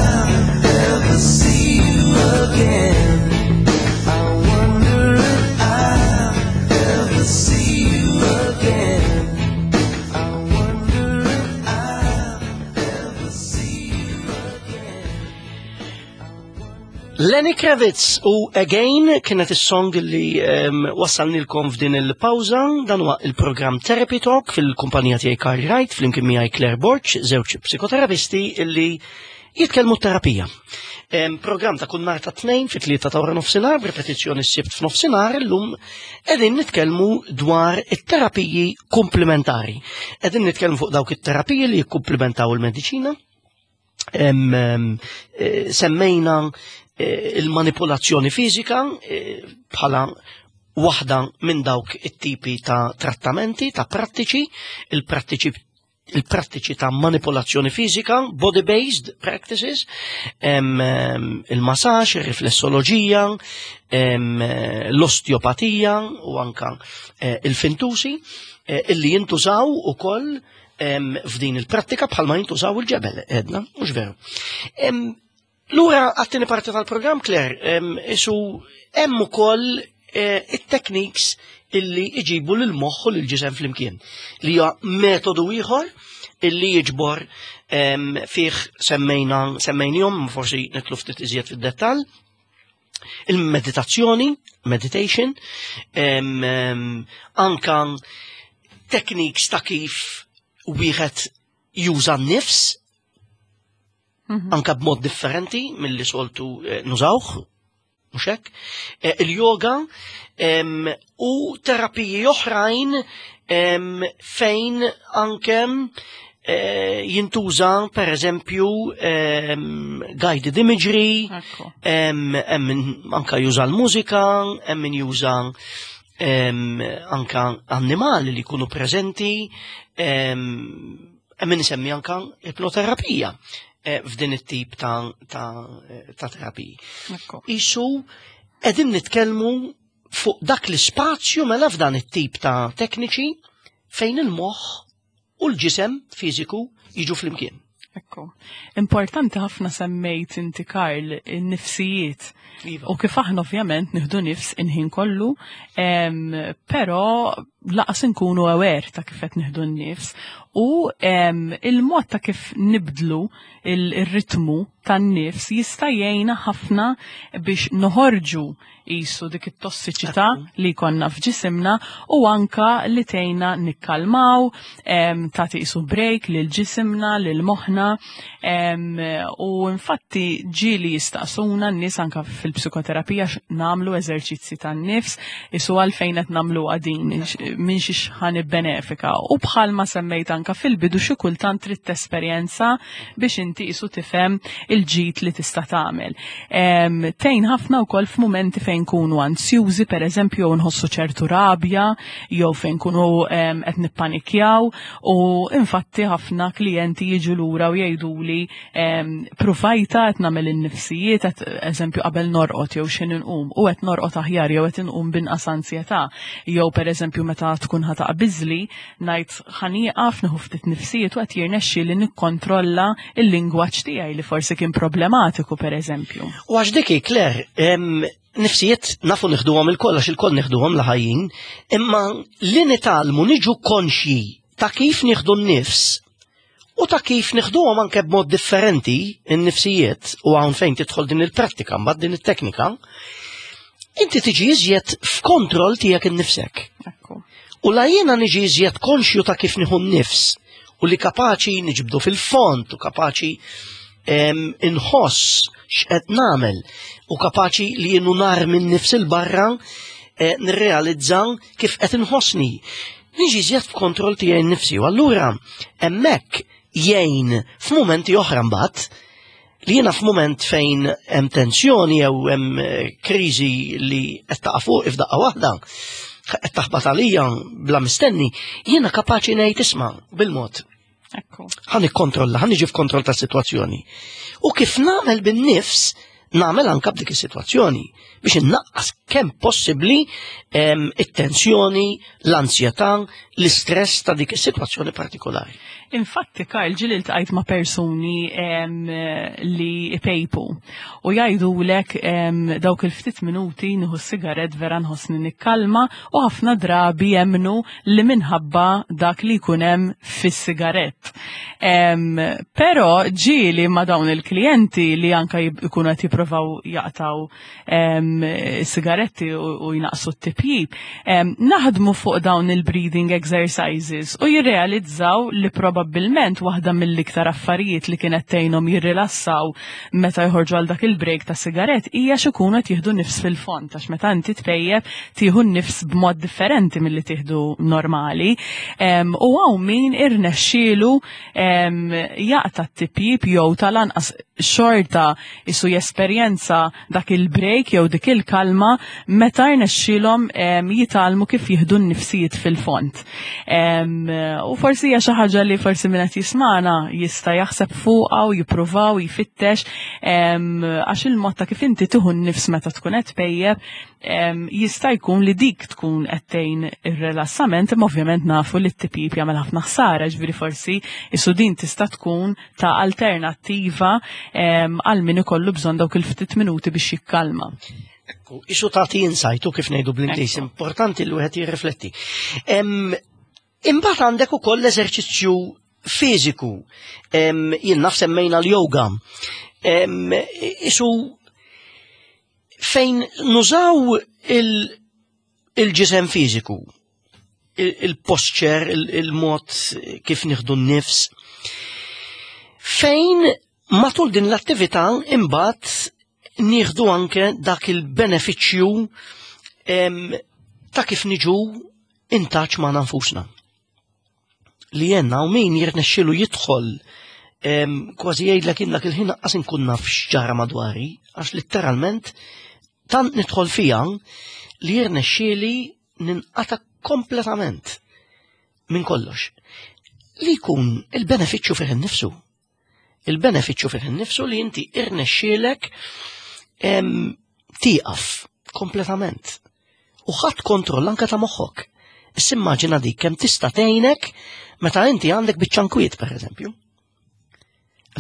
ever see you again. I wonder if I'll ever see you again. I wonder if I'll ever see you again. Lenny Kravitz u Again kienet is-song li um, wassalnilkom f'din il-pawża. Dan huwa il-programm Therapy Talk fil-kumpanija tiegħi Karl Wright, flimkien miegħi Claire Borg, żewġ psikoterapisti illi jitkellmu terapija. Um, program ta' kull nhar ta' Tnejn fit-tlieta ta' wara nofsinhar, b'ripetizzjoni s-Sibt f'nofsinhar. Illum qegħdin nitkellmu dwar it-terapiji komplementari. Qegħdin nitkellmu fuq dawk it-terapiji li jikkumplementaw il-mediċina. Em, em, eh, semmejna eh, il-manipolazzjoni fiżika eh, bħala waħda minn dawk it-tipi ta' trattamenti, ta' prattiċi, il-prattiċi il-prattiċi ta' manipolazzjoni fizika, body-based practices, il-massaġ, il-riflessoloġija, l-osteopatija u anka eh, il-fintusi, eh, illi jintużaw ukoll f'din il-prattika bħalma jintużaw il-ġebel, edna, mhux veru. Lura għat-tieni parti tal-programm, Claire, isu hemm ukoll eh, it-techniques illi iġibu lil moħħ u lil-ġisem flimkien. Li huwa metodu ieħor illi jiġbor fih semmejna semmejnihom, forsi nidħlu ftit iżjed fid-dettall, il-meditazzjoni, meditation, em, em, anka techniques ta' kif wieħed juża n-nifs, Mhm. anka b'mod differenti mill-li soltu eh, nużawh, mhux hekk? Eh, Il-yoga em, u terapiji oħrajn em, fejn anke eh, jintuża per eżempju em, guided imagery, Ekku. em, hemm min anka juża l-mużika, hemm min juża em, anka annimali li jkunu preżenti, em, hemm min isemmi anka ipnoterapija eh, f'din it-tip ta', ta, ta' terapiji. Ekku. Isu qegħdin nitkellmu fuq dak l-ispazju mela f'dan it-tip ta' tekniċi fejn il-moħħ u l-ġisem fiżiku jiġu flimkien. Ekku. Importanti ħafna semmejt inti, Karl, in-nifsijiet. Iva. U kif aħna ovvjament nieħdu nifs il-ħin kollu, em, però lanqas inkunu aware ta' kif qed nieħdu n-nifs. U em, il-mod ta' kif nibdlu il- il-ritmu tan-nifs jista' jgħinna ħafna biex noħorġu qisu dik it-tossiċità li konna f'ġisimna u anka li tgħinna nikkalmaw, em, tagħti qisu break lil ġisimna, lil moħħna, em, u infatti ġieli jistaqsuna n-nies anka fil-psikoterapija nagħmlu eżerċizzi tan-nifs, qisu għalfejn qed nagħmlu għadin, minn xiex ħa nibbenefika. U bħalma semmejt anka fil-bidu, xi kultant trid tesperjenza biex inti qisu tifhem il-ġid li tista' tagħmel. Em, Tgħin ħafna wkoll f'mumenti fejn kunu ansjużi, per eżempju, jew nħossu ċertu rabja, jew fejn kunu em, qed nippanikjaw, u infatti ħafna klijenti jiġu lura u jgħiduli em, provajta qed nagħmel in-nifsijiet, qed eżempju qabel norqod jew x'ħin inqum u qed norqod aħjar jew qed inqum binqas ansjetà, jew per eżempju meta tkun ħa taqbiżli ngħid ħa nieqaf nieħu ftit nifsijiet u qed jirnexxi li nikkontrolla il-lingwaġġ tiegħi li forsi kien problematiku, per eżempju. U għax dik, Claire, em, nifsijiet nafu nieħduhom ilkoll, għax ilkoll nieħduhom la ħajjin, imma li nitgħallmu niġu konxji ta' kif nieħdu n-nifs u ta' kif nieħduhom anke b'mod differenti n-nifsijiet, u hawn fejn tidħol din il-prattika mbagħad din it-teknika, inti tiġi iżjed f'kontroll tiegħek innifsek. Ekku. U la jiena niġi iżjed konxju ta' kif nieħu n-nifs u li kapaċi niġbdu fil-fond u kapaċi em, inħoss x'qed nagħmel u kapaċi li jienu nar minn nifs il-barra eh, nirrealizza kif qed inħossni. Niġi iżjed f'kontroll tiegħi nnifsi u allura hemmhekk jgħin f'mumenti oħra mbagħad li jiena f'mument fejn hemm tensjoni jew hemm eh, kriżi li qed taqa' fuq f'daqqa waħda, qed taħbat għalija bla mistenni, jiena kapaċi ngħid, "Isma', bil-mod, Ekku. ħa nikkontrolla, ħa niġi f'kontroll tas-sitwazzjoni." U kif nagħmel bin-nifs, nagħmel anka b'dik is-sitwazzjoni biex innaqqas kemm possibbli em, it-tensjoni, l-ansjetà, l-istress ta' dik is-sitwazzjoni partikolari. Infatti, Karl, ġieli ltqajt ma' persuni em, li ipejpu u jgħidulek em, dawk il-ftit minuti nieħu sigaret vera nħossni nikkalma, u ħafna drabi jemnu li minħabba dak li jkun hemm fis-sigarett. Em, Però ġieli ma' dawn il-klijenti li anka jib- ikunu qed jipprovaw jaqtaw em, sigaretti u, u jnaqsu t-tipjib, em, naħdmu fuq dawn il-breathing exercises u jirrealizzaw li probabbilment waħda mill-iktar affarijiet li kienet tgħinhom jirrilassaw meta jħorġu għal dak il-break ta' sigaret hija x'ikunu qed jieħdu nifs fil-fond, għax meta inti tpejjeb tieħu n-nifs b'mod differenti milli tieħdu normali. Em, u hawn min irnexxielu em, jaqta' t-tipjib jew tal-anqas xorta qisu jesperjenza dak il-break jew dik il-kalma meta rnexxielhom em, jitgħallmu kif jieħdu n-nifsijiet fil-fond. Em, U forsi hija xi ħaġa li forsi Forsi min qed jismagħna jista' jaħseb fuqha u jippruvaw jfittex, għax il-mod ta' kif inti tieħu n-nifs meta tkun qed tpejjep jista' jkun li dik tkun qed tgħin ir-rilassament, imma ovvjament nafu li t-tipjip jagħmel ħafna ħsara, ġifieri forsi isu din tista' tkun ta' alternattiva għal min ikollu bżonn dawk il-ftit minuti biex jikkalma. Ekku, isu tagħti insight u kif ngħidu bl-Ingliż, importanti li wieħed jirrifletti. Imbagħad għandek ukoll l-eżerċizzju fiżiku. Jien naf semmejna l-yoga. Isu fejn nużaw il-ġisem fiżiku, il-posture, il-mod kif nieħdu n-nifs, fejn matul din l-attività imbagħad nieħdu anke dak il-benefiċċju ta' kif niġu in touch ma' nfusna. Li jenna u min jirnexxilu jidħol kważi jgħidlek jien dak il-ħin qas inkun naf x'ġara madwari, għax litteralment tant nidħol fija li jirnexxieli ninqata kompletament minn kollox. Li jkun il-benefiċċju fih innifsu. Il-benefiċċju fih innifsu li inti irnexxielek tieqaf kompletament. U ħadd kontroll anka ta' moħħok. Issa immaġina dik kemm tista' tgħinek meta inti għandek biċċa nkwiet, pereżempju.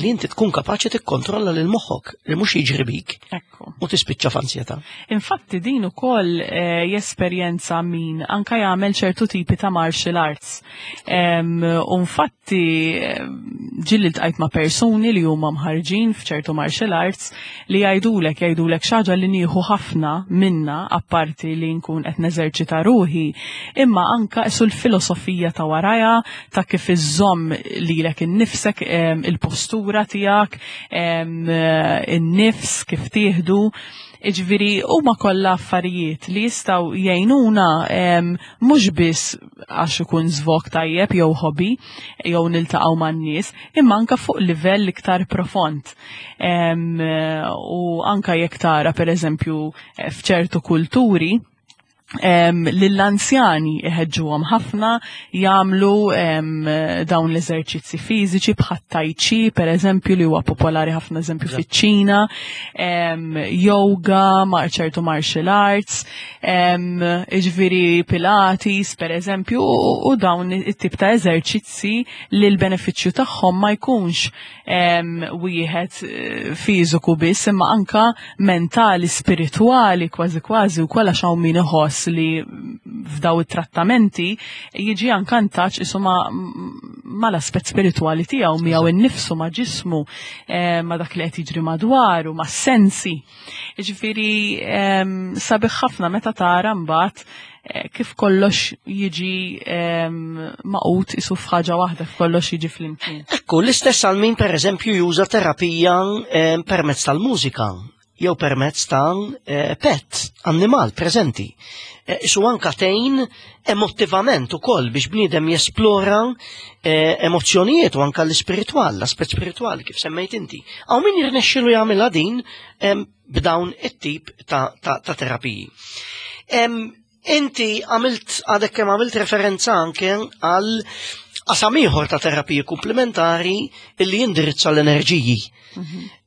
Li inti tkun kapaċi tikkontrolla lil moħħok li mhux jiġri bik Ekku. u tispiċċa f'ansjetà. Infatti din ukoll eh, jesperjenza min anka jagħmel ċertu tipi ta' martial arts. Em, U infatti ġieli ltqajt ma' persuni li huma mħarġin f'ċertu martial arts li jgħidulek jgħidulek xi ħaġa li nieħu ħafna minna, apparti li nkun qed neżerċita ruħi, imma anka isu l-filosofija ta' waraja, ta' kif iżżomm lilek innifsek, em, il-postura tiegħek, em, in-nifs kif tieħdu. Iġviri, huma kollha affarijiet li jistgħu jgħinuna em, mhux biss għax ikun żvog tajjeb jew hobby jew niltaqgħu man-nies, imma anka fuq livell iktar profond. Em, u anka jekk tara, pereżempju, f'ċertu kulturi em, lill-anzjani iħeġġuhom ħafna jagħmlu em, dawn l-eżerċizzi fiżiċi bħat tai chi, per eżempju, li huwa popolari ħafna, eżempju, fiċ-Ċina, em, yoga, ma' ċertu martial arts, em, jiġifieri Pilates, per eżempju, u, u dawn it-tip ta' eżerċizzi li l-benefiċċju tagħhom ma jkunx em, wieħed eh, fiżiku biss, imma anka mentali, spiritwali, kważi kważi, u kollha xaw min iħoss li f'daw it-trattamenti jiġi anka in touch isu ma, ma l-aspett spiritwali tiegħu, miegħu innifsu, ma' ġismu, eh, ma' dak li qed jiġri madwaru, ma' sensi. Jiġifieri em, sabiħ ħafna meta tara mbagħad eh, kif kollox jiġi em, maqut isu f'ħaġa waħda, kollox jiġi flimkien. Ekku, l-istess għal min per eżempju juża terapija eh, permezz tal-mużika jew permezz ta' eh, pet, annimal preżenti. Eh, Isu anka tgħin emotivament ukoll biex bniedem jesplora eh, emozzjonijiet u anka l-ispiritwal, l-aspett spiritwali kif semmejt inti. Hawn min jirnexxilu jagħmilha din em, b'dawn it-tip ta', ta, ta' terapiji. Em, Inti għamilt, għadek kemm għamilt referenza anke għal qasam ieħor ta' terapiji komplementari illi jindirizza l-enerġiji.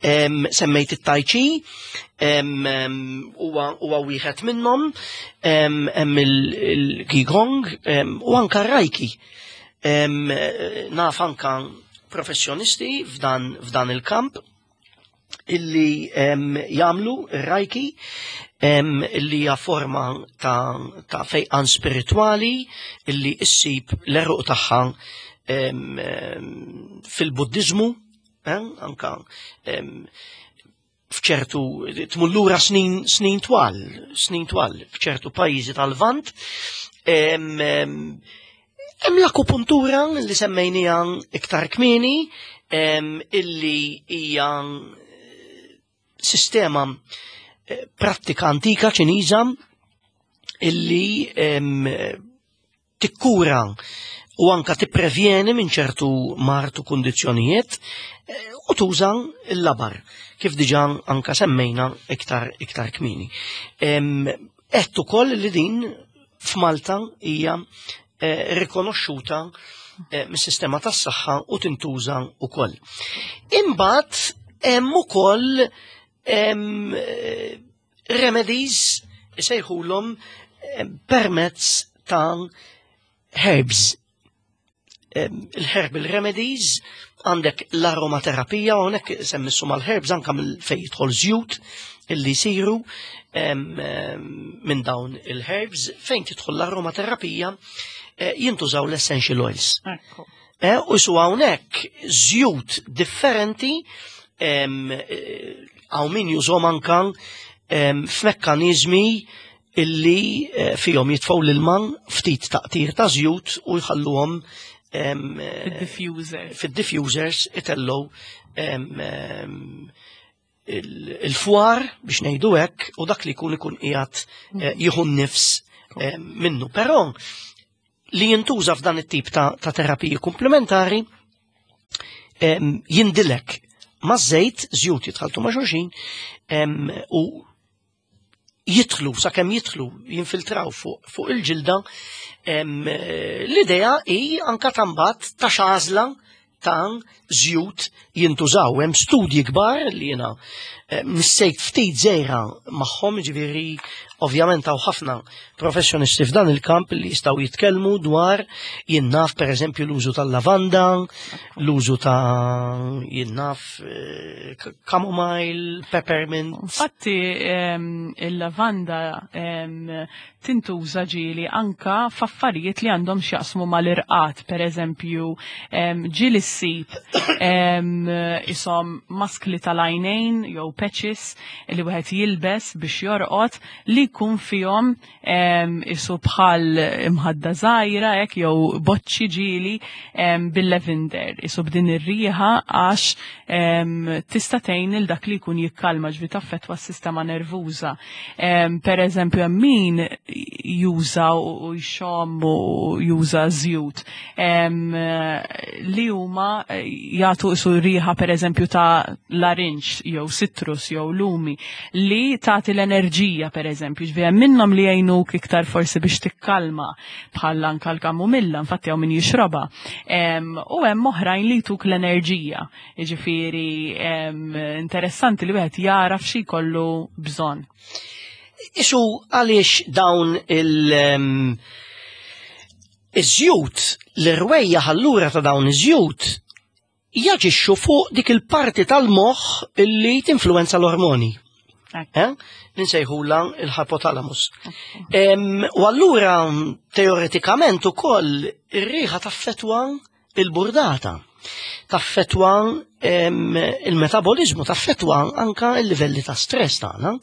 Em, Semmejt it-tai chi, em, em, huwa huwa wieħed minnhom, em, hemm il-qigong em, u anka r-reiki. Em, Naf anka professjonisti f'dan f'dan il-kamp illi em, jagħmlu r-reiki em, illi hija forma ta', ta' fejqan spiritwali illi issib l-għeruq tagħha em, em, fil-Buddizmu, eh, anka em, f'ċertu tmur lura snin, snin twal, snin twal, f'ċertu pajjiżi tal-Lvant. Em, em, Hemm l-akupuntura li semmejnija iktar kmieni, em, illi hija sistema eh, prattika antika Ċiniża illi em, tikkura u anka tipprevjeni minn ċertu mard u kundizzjonijiet eh, u tuża l-labar kif diġà anka semmejna iktar iktar kmieni. Em, Għedt ukoll li din f'Malta hija eh, rikonoxxuta eh, mis-sistema tas-saħħa u tintuża wkoll. Imbagħad hemm ukoll em, eh, remedies isejħulhom eh, permezz ta' herbs. Em, Il-herbal remedies, għandek l-aromaterapija, u hawnhekk semmissu mal-herbs anka mill fej jidħol żjut illi jsiru em, em, minn dawn il-herbs, fejn tidħol l-aromaterapija eh, jintużaw l-essential oils. Ekku. Eh, u su hawnhekk żjut differenti em, eh, hawn min jużhom anka em, f'mekkaniżmi illi eh, fihom jitfgħu l-ilma ftit taqtir ta' żjut u jħalluhom em, eh, Fid-diffuser. fid-diffusers itellgħu em, em, il- il-fwar biex ngħidu hekk, u dak li jkun ikun qiegħed eh, jieħu n-nifs eh, minnu. Però li jintuża f'dan it-tip ta', ta' terapiji komplementari em, jindilek ma' żejt, żjut jitħaltu ma' xulxin em, u jidħlu, sakemm jidħlu, jinfiltraw fuq fu il-ġilda. em, eh, L-idea hi anka tambat ta' xażla ta' żjut jintużaw. Hemm studji kbar li jiena eh, nissejt ftit żejra magħhom, ġifieri ovvjament hawn ħafna professjonisti f'dan il-kamp li jistgħu jitkellmu dwar, jien naf, per eżempju l-użu tal-lavanda, l-użu ta', jien naf, eh, chamomile, peppermint. Infatti em, il-lavanda em, tintuża ġieli anka f'affarijiet li għandhom x'jaqsmu mal-irqad, per eżempju, em, ġieli ssib em, isom maskli tal-għajnejn jew patches li wieħed jilbes biex jorqod li jkun fihom em, isu bħal imħadda żgħira hekk jew boċċi ġieli em, bil-lavender, isu b'din ir-riħa, għax em, tista' tgħin il dak li jkun jikkalma, ġvi taffettwa s-sistema nervuża. Em, Per eżempju, hemm min juża u jxomm u juża żjut em, li huma jagħtu isu riħa, per eżempju, ta' larinġ jew citrus jew lumi li tagħti l-enerġija, per eżempju, ġvi hemm minnhom li jgħinuk iktar forsi biex tikkalma, bħal anka l-kamumilla, infatti hawn min jixrobha. Em, U hemm oħrajn li jtuk l-enerġija. Jiġifieri em, interessanti li wieħed jara f'xi jkollu bżonn. Isu għaliex dawn il- em, iż-żjut, l-irwejja allura ta' dawn iż-żjut jaġixxu fuq dik il-parti tal-moħħ illi tinfluwenza l-ormoni. Ekk. Eh? Ninsejħula il-hypothalamus. Em, U allura teoretikament ukoll ir-riħa taffetwa il-burdata, taffetwa em, il-metabolizmu, taffetwa anka il-livelli ta' stress tagħna.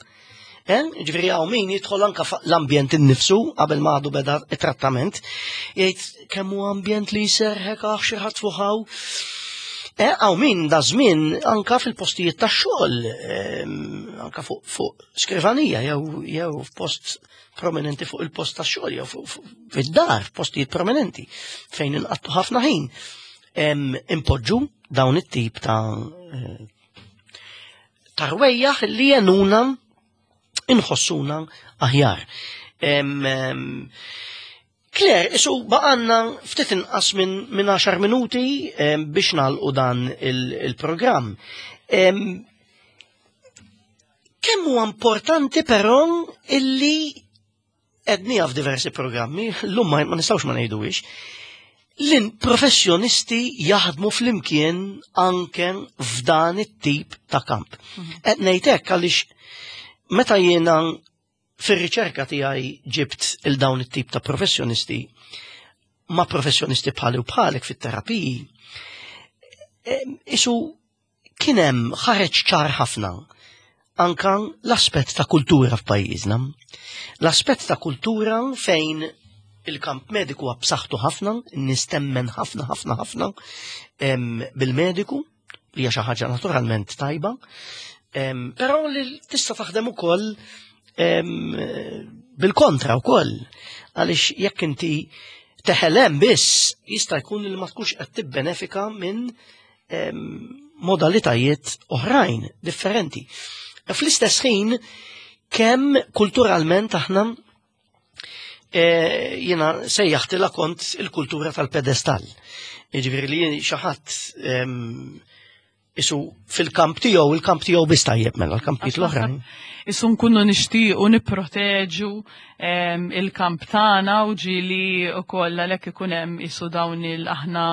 Eh? Ġifieri hawn min jidħol anka fa- l-ambjent innifsu qabel ma għadu beda it-trattament, jgħid kemm hu ambjent li jserħek, aħ, xi ħadd fuħaw. Eh, hawn min da żmien anka fil-postijiet tax-xogħol, em, anka fuq fuq skrivanija jew jew f'post prominenti fuq il-post tax-xogħol jew fuq- fuq- fid-dar, f'postijiet prominenti fejn inqattu ħafna ħin. Em, Impoġġu dawn it-tip ta' eh, ta' rwejjaħ li jgħinuna inħossuna aħjar. Em, em, Claire, isu baqgħalna ftit inqas minn min għaxar minuti em, biex nagħlqu dan il- il-programm. Em, Kemm huwa importanti però illi għednieha f'diversi programmi, l-lum ma ma nistgħux ma ngħiduhiex, l-professjonisti jaħdmu flimkien anke f'dan it-tip ta' kamp. Qed ngħid hekk għaliex meta jiena fir-riċerka tiegħi ġibt il dawn it-tip ta' professjonisti ma' professjonisti bħali u bħalek fit-terapiji, em, isu kien hemm ħareġ ċar ħafna anka l-aspett ta' kultura f'pajjiżna. L-aspett ta' kultura fejn il-kamp mediku huwa b'saħħtu ħafna, nistemmen ħafna ħafna ħafna em, bil-mediku, li hija xi ħaġa naturalment tajba, em, però li tista' taħdem ukoll em, bil-kontra wkoll, għaliex jekk inti teħelem biss jista' jkun li ma tkunx qed tibbenefika minn em, modalitajiet oħrajn differenti. Fl-istess ħin, kemm kulturalment aħna eh, jiena sejjaħtilha kont il-kultura tal-pedestall. Jiġifieri li xi ħadd isu fil-kamp tiegħu, il-kamp tiegħu biss tajjeb, mela l-kampijiet l-oħrajn. Isu nkunu nixtiequ nipproteġu il-kamp tagħna u ġieli wkoll għalhekk ikun hemm isu dawn il aħna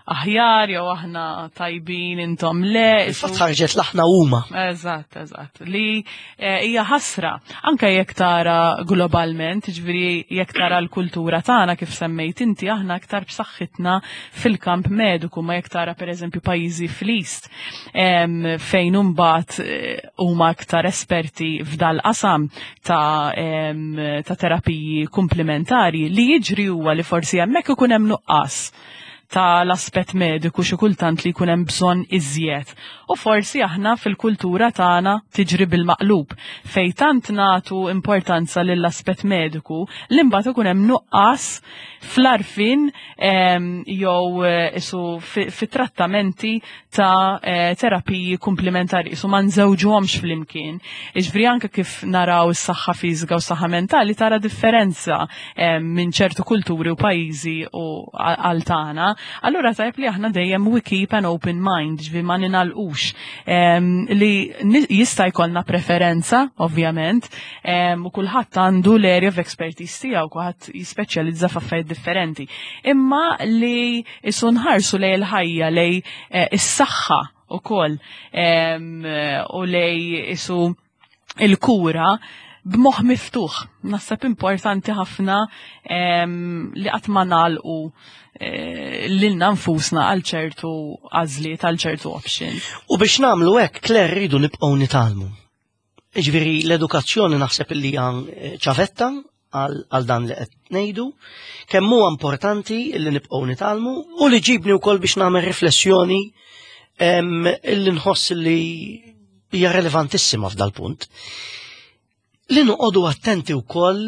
aħjar jew aħna tajbin, intom le. Fatt ħarġet l-aħna huma. Eżatt, eżatt. Li eh, hija ħasra anke jekk tara globalment, ġifieri jekk tara l-kultura tagħna, kif semmejt inti, aħna aktar b'saħħitna fil-kamp mediku, ma jekk tara pereżempju pajjiżi fl-East fejn imbagħad eh, huma aktar esperti f'dal-qasam ta' ta' terapiji komplementari, li jiġri huwa li forsi hemmhekk ikun hemm nuqqas tal-aspett mediku xi kultant li jkun hemm bżonn iżjed. U forsi aħna fil-kultura tagħna tiġri bil-maqlub, fej tant nagħtu importanza lill-aspett mediku li mbagħad ikun hemm nuqqas fl-għarfien jew eh, isu fit-trattamenti ta' eh, terapiji komplementari, isu ma nżewġuhomx flimkien. Iġifieri anke kif naraw is-saħħa fiżika u s-saħħa mentali, tara differenza minn ċertu kulturi u pajjiżi u għal tagħna. Allura tajb li aħna dejjem we keep an open mind, ġifieri ma ninalqux. Li jista' jkollna preferenza, ovvjament, u kulħadd għandu l-area of expertise tiegħu, kulħadd jispeċjalizza f'affarijiet differenti. Imma li isu nħarsu lej il-ħajja, lej eh, is-saħħa ukoll u lej isu il-kura b'moħ miftuħ. Naħseb importanti ħafna li qatt ma nagħlqu eh, lilna nfusna għal ċertu għażliet, għal ċertu options. U biex nagħmlu hekk, Claire, rridu nibqgħu nitgħallmu. Ġifieri l-edukazzjoni naħseb li hija eh, ċavetta għal dan li qed ngħidu, kemm huwa importanti li nibqgħu nitgħallmu u li ġibni wkoll biex nagħmel riflessjoni illi nħoss li hija relevantissima f'dal-punt. Li noqogħdu attenti wkoll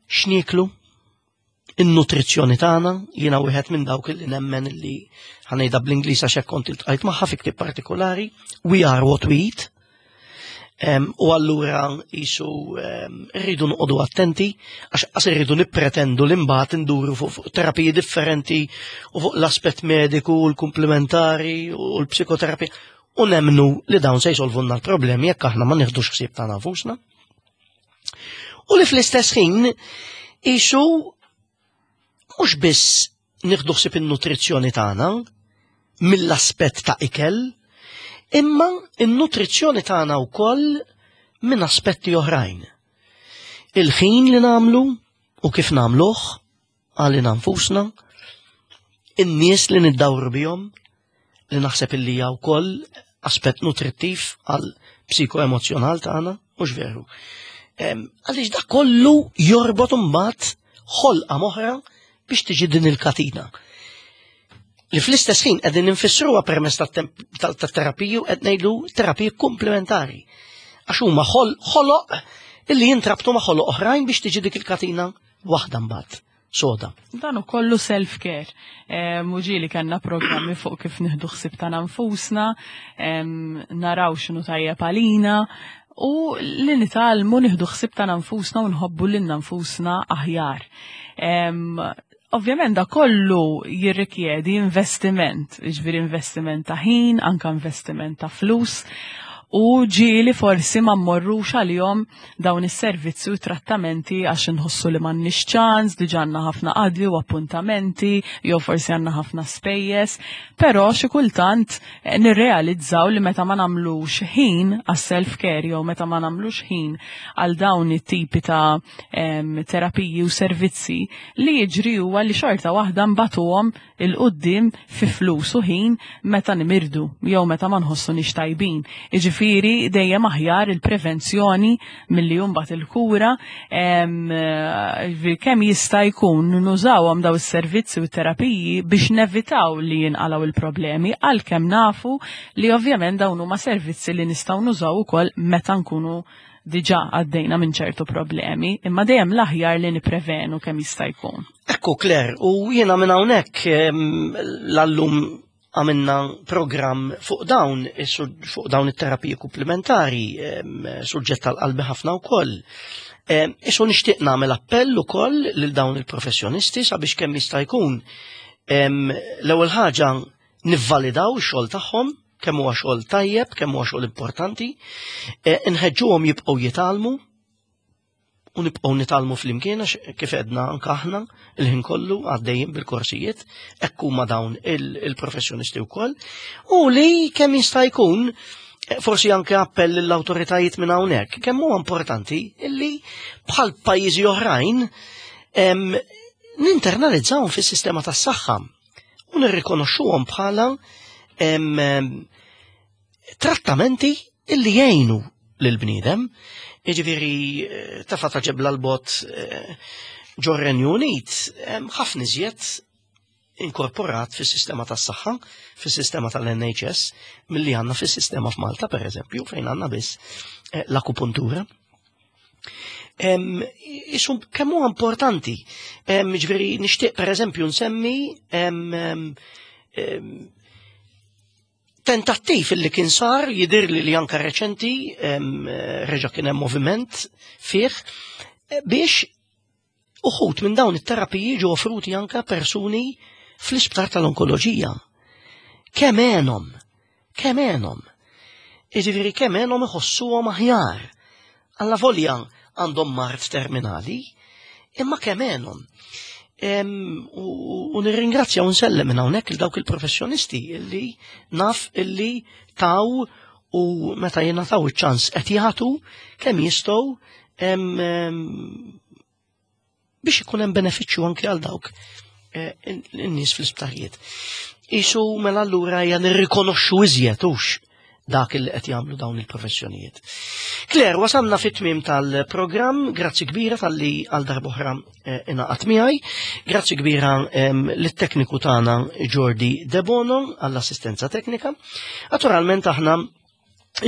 x'nieklu, in-nutrizzjoni tagħna. Jiena wieħed minn dawk li nemmen li, ħa ngħidha bl-Ingliż għax hekk kont iltqajt magħha fi ktieb partikolari, "We are what we eat". U allura jisu rridu noqogħdu attenti għax qas irridu nippretendu li mbagħad induru fuq terapiji differenti u fuq l-aspett mediku u l-komplementari u l-psikoterapija u nemnu li dawn se jsolvunna l-problemi jekk aħna ma nieħdux ħsieb tagħna nfusna. U li fl-istess ħin isu mhux biss nieħdu ħsieb in-nutrizzjoni tagħna mill-aspett ta' ikel, imma in-nutrizzjoni tagħna wkoll minn aspetti oħrajn. Il-ħin li nagħmlu u kif nagħmluh għalina nfusna, in-nies li niddawru bihom, li naħseb illi hija wkoll aspett nutrittiv għal psikoemozjonal tagħna, mhux veru? Għaliex da kollu jorbot imbagħad ħolqa m'oħra biex tiġi din il-katina. Li fl-istess ħin qegħdin infissruha permezz tat-terapiju, qed ngħidu terapiji komplementari. Għax huma ħoloq illi jintrabtu ma' ħoloq oħrajn biex tiġi dik il-katina waħda mbagħad soda. Dan kollu self-care. U ġieli kellna programmi fuq kif nieħdu ħsieb ta' nfusna, naraw x'inhu tajjeb għalina, u li nitgħallmu nieħdu ħsieb ta' nfusna u nħobbu lil nfusna aħjar. Ovvjament da kollu jirrikjedi investiment, ġifieri investiment ta' ħin, anka investiment ta' flus, u ġieli forsi ma mmorrux għalihom dawn is-servizzi u trattamenti għax inħossu li m'għandniex ċans, diġà għandna ħafna qadli u appuntamenti, jew forsi għandna ħafna spejjeż, però xi kultant eh, nirrealizzaw li meta ma nagħmlux ħin għas-self-care jew meta ma nagħmlux ħin għal dawn it-tipi ta' em, terapiji u servizzi, li jiġri huwa li xorta waħda nbatuhom 'il quddiem fi flus u ħin meta nimirdu jew meta ma nħossunix tajbin. Jiġifieri dejjem aħjar il-prevenzjoni milli mbagħad il-kura. em, eh, kemm jista' jkun nużawhom daw is-servizzi u terapiji biex nevitaw li jinqalgħu il-problemi, għalkemm nafu li ovvjament dawn huma servizzi li nistgħu nużaw ukoll meta nkunu diġà għaddejna minn ċertu problemi, imma dejjem l-aħjar li niprevenu kemm jista' jkun. Ekku, Claire, u jiena minn hawnhekk em, l-allum għamilna program fuq dawn, fuq dawn it-terapiji komplementari, em, suġġett tal-qalbi ħafna wkoll. Isu nixtieq nagħmel appell ukoll lil dawn il-professjonisti sabiex kemm jista' jkun l-ewwel ħaġa nivvalidaw ix-xogħol tagħhom, kemm huwa xogħol tajjeb, kemm huwa xogħol importanti, inħeġġuhom jibqgħu jitgħallmu u nibqgħu nitgħallmu flimkien għax kif għedna anke aħna il-ħin kollu għaddejjin bil-korsijiet, hekk huma dawn il-professjonisti wkoll, u li kemm jista' jkun forsi anke appell l-awtoritajiet minn hawnhekk, kemm huwa importanti illi bħal pajjiżi oħrajn ninternalizzawhom fis-sistema tas-saħħa u nirrikonoxxuhom bħala trattamenti illi jgħinu lill-bniedem. Jiġifieri tafa ta' ġebla l-bot ġor-Renju Unit ħafna iżjed inkorporat fis-sistema tas-saħħa, fis-sistema tal-N H S, milli għandna fis-sistema f'Malta, per eżempju, fejn għandna biss l-akupuntura. Isum kemm huwa importanti. Ġifieri nixtieq per eżempju nsemmi tentattiv illi kien sar, jidhirli li anke reċenti, reġa' kien hemm moviment fih, biex uħud minn dawn it-terapiji ġew offruti anke persuni fl-isptar tal-onkoloġija. Kemm għenhom, kemm għenhom. Jiġifieri kemm għenhom iħossuhom aħjar. Alla volja għandhom mard terminali, imma kemm għenhom. U nirringrazzja u nsellem minn hawnhekk il dawk il-professjonisti illi naf illi taw u meta jingħataw iċ-ċans qed jagħtu kemm jistgħu biex ikun hemm benefiċċju anke għal dawk in-nies fl-isptarijiet. Isu mela allura hija nirrikonoxxu iżjed hux dak li qed jagħmlu dawn il-professjonijiet. Claire, wasalna fit-tmiem tal-programm, grazzi kbira tal-li għal darb'oħra ingħaqad miegħi, grazzi kbira lit-tekniku tagħna Jordi Debono għall-assistenza teknika. Naturalment aħna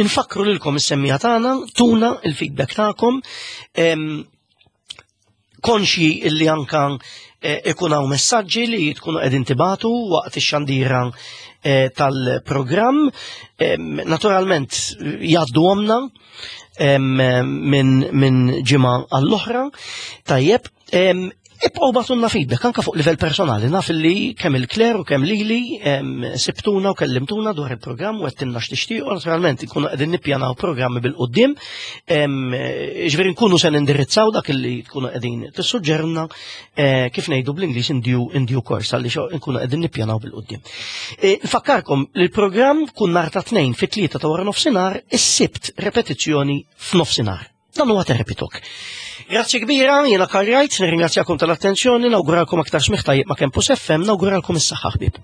infakru lilkom is-semmija tagħna, tuna il-feedback tagħkom, konxji illi anka ikun hawn messaġġi li tkunu qegħdin tibatu waqt ix-xandira tal-programm. Naturalment jgħaddu għomna minn ġimgħa għall-oħra. Tajjeb, ibqgħu bagħtulna feedback anke fuq livell personali. Naf li kemm il-Claire u kemm lili sibtuna u kellimtuna dwar il-programm u għedtilna x'tixtiequ. Naturalment nkunu qegħdin nippjanaw programmi bil-quddiem, ġifieri nkunu se nindirizzaw dak li tkunu qegħdin tissuġġerna, kif ngħidu bl-Ingliż in due, in due course, għaliex nkunu qegħdin nippjanaw bil-quddiem. Nfakkarkom li l-programm kun nhar ta' tnejn fit-tlieta ta' wara nofsinhar, is-Sibt repetizzjoni f'nofsinhar. Dan huwa Therapy Talk. Grazzi kbira, jiena Karl Wright, nirringrazzjakom tal-attenzjoni, nawguralkom aktar smigħ tajjeb ma' Campus F M, nawguralkom is-saħħa ħbieb.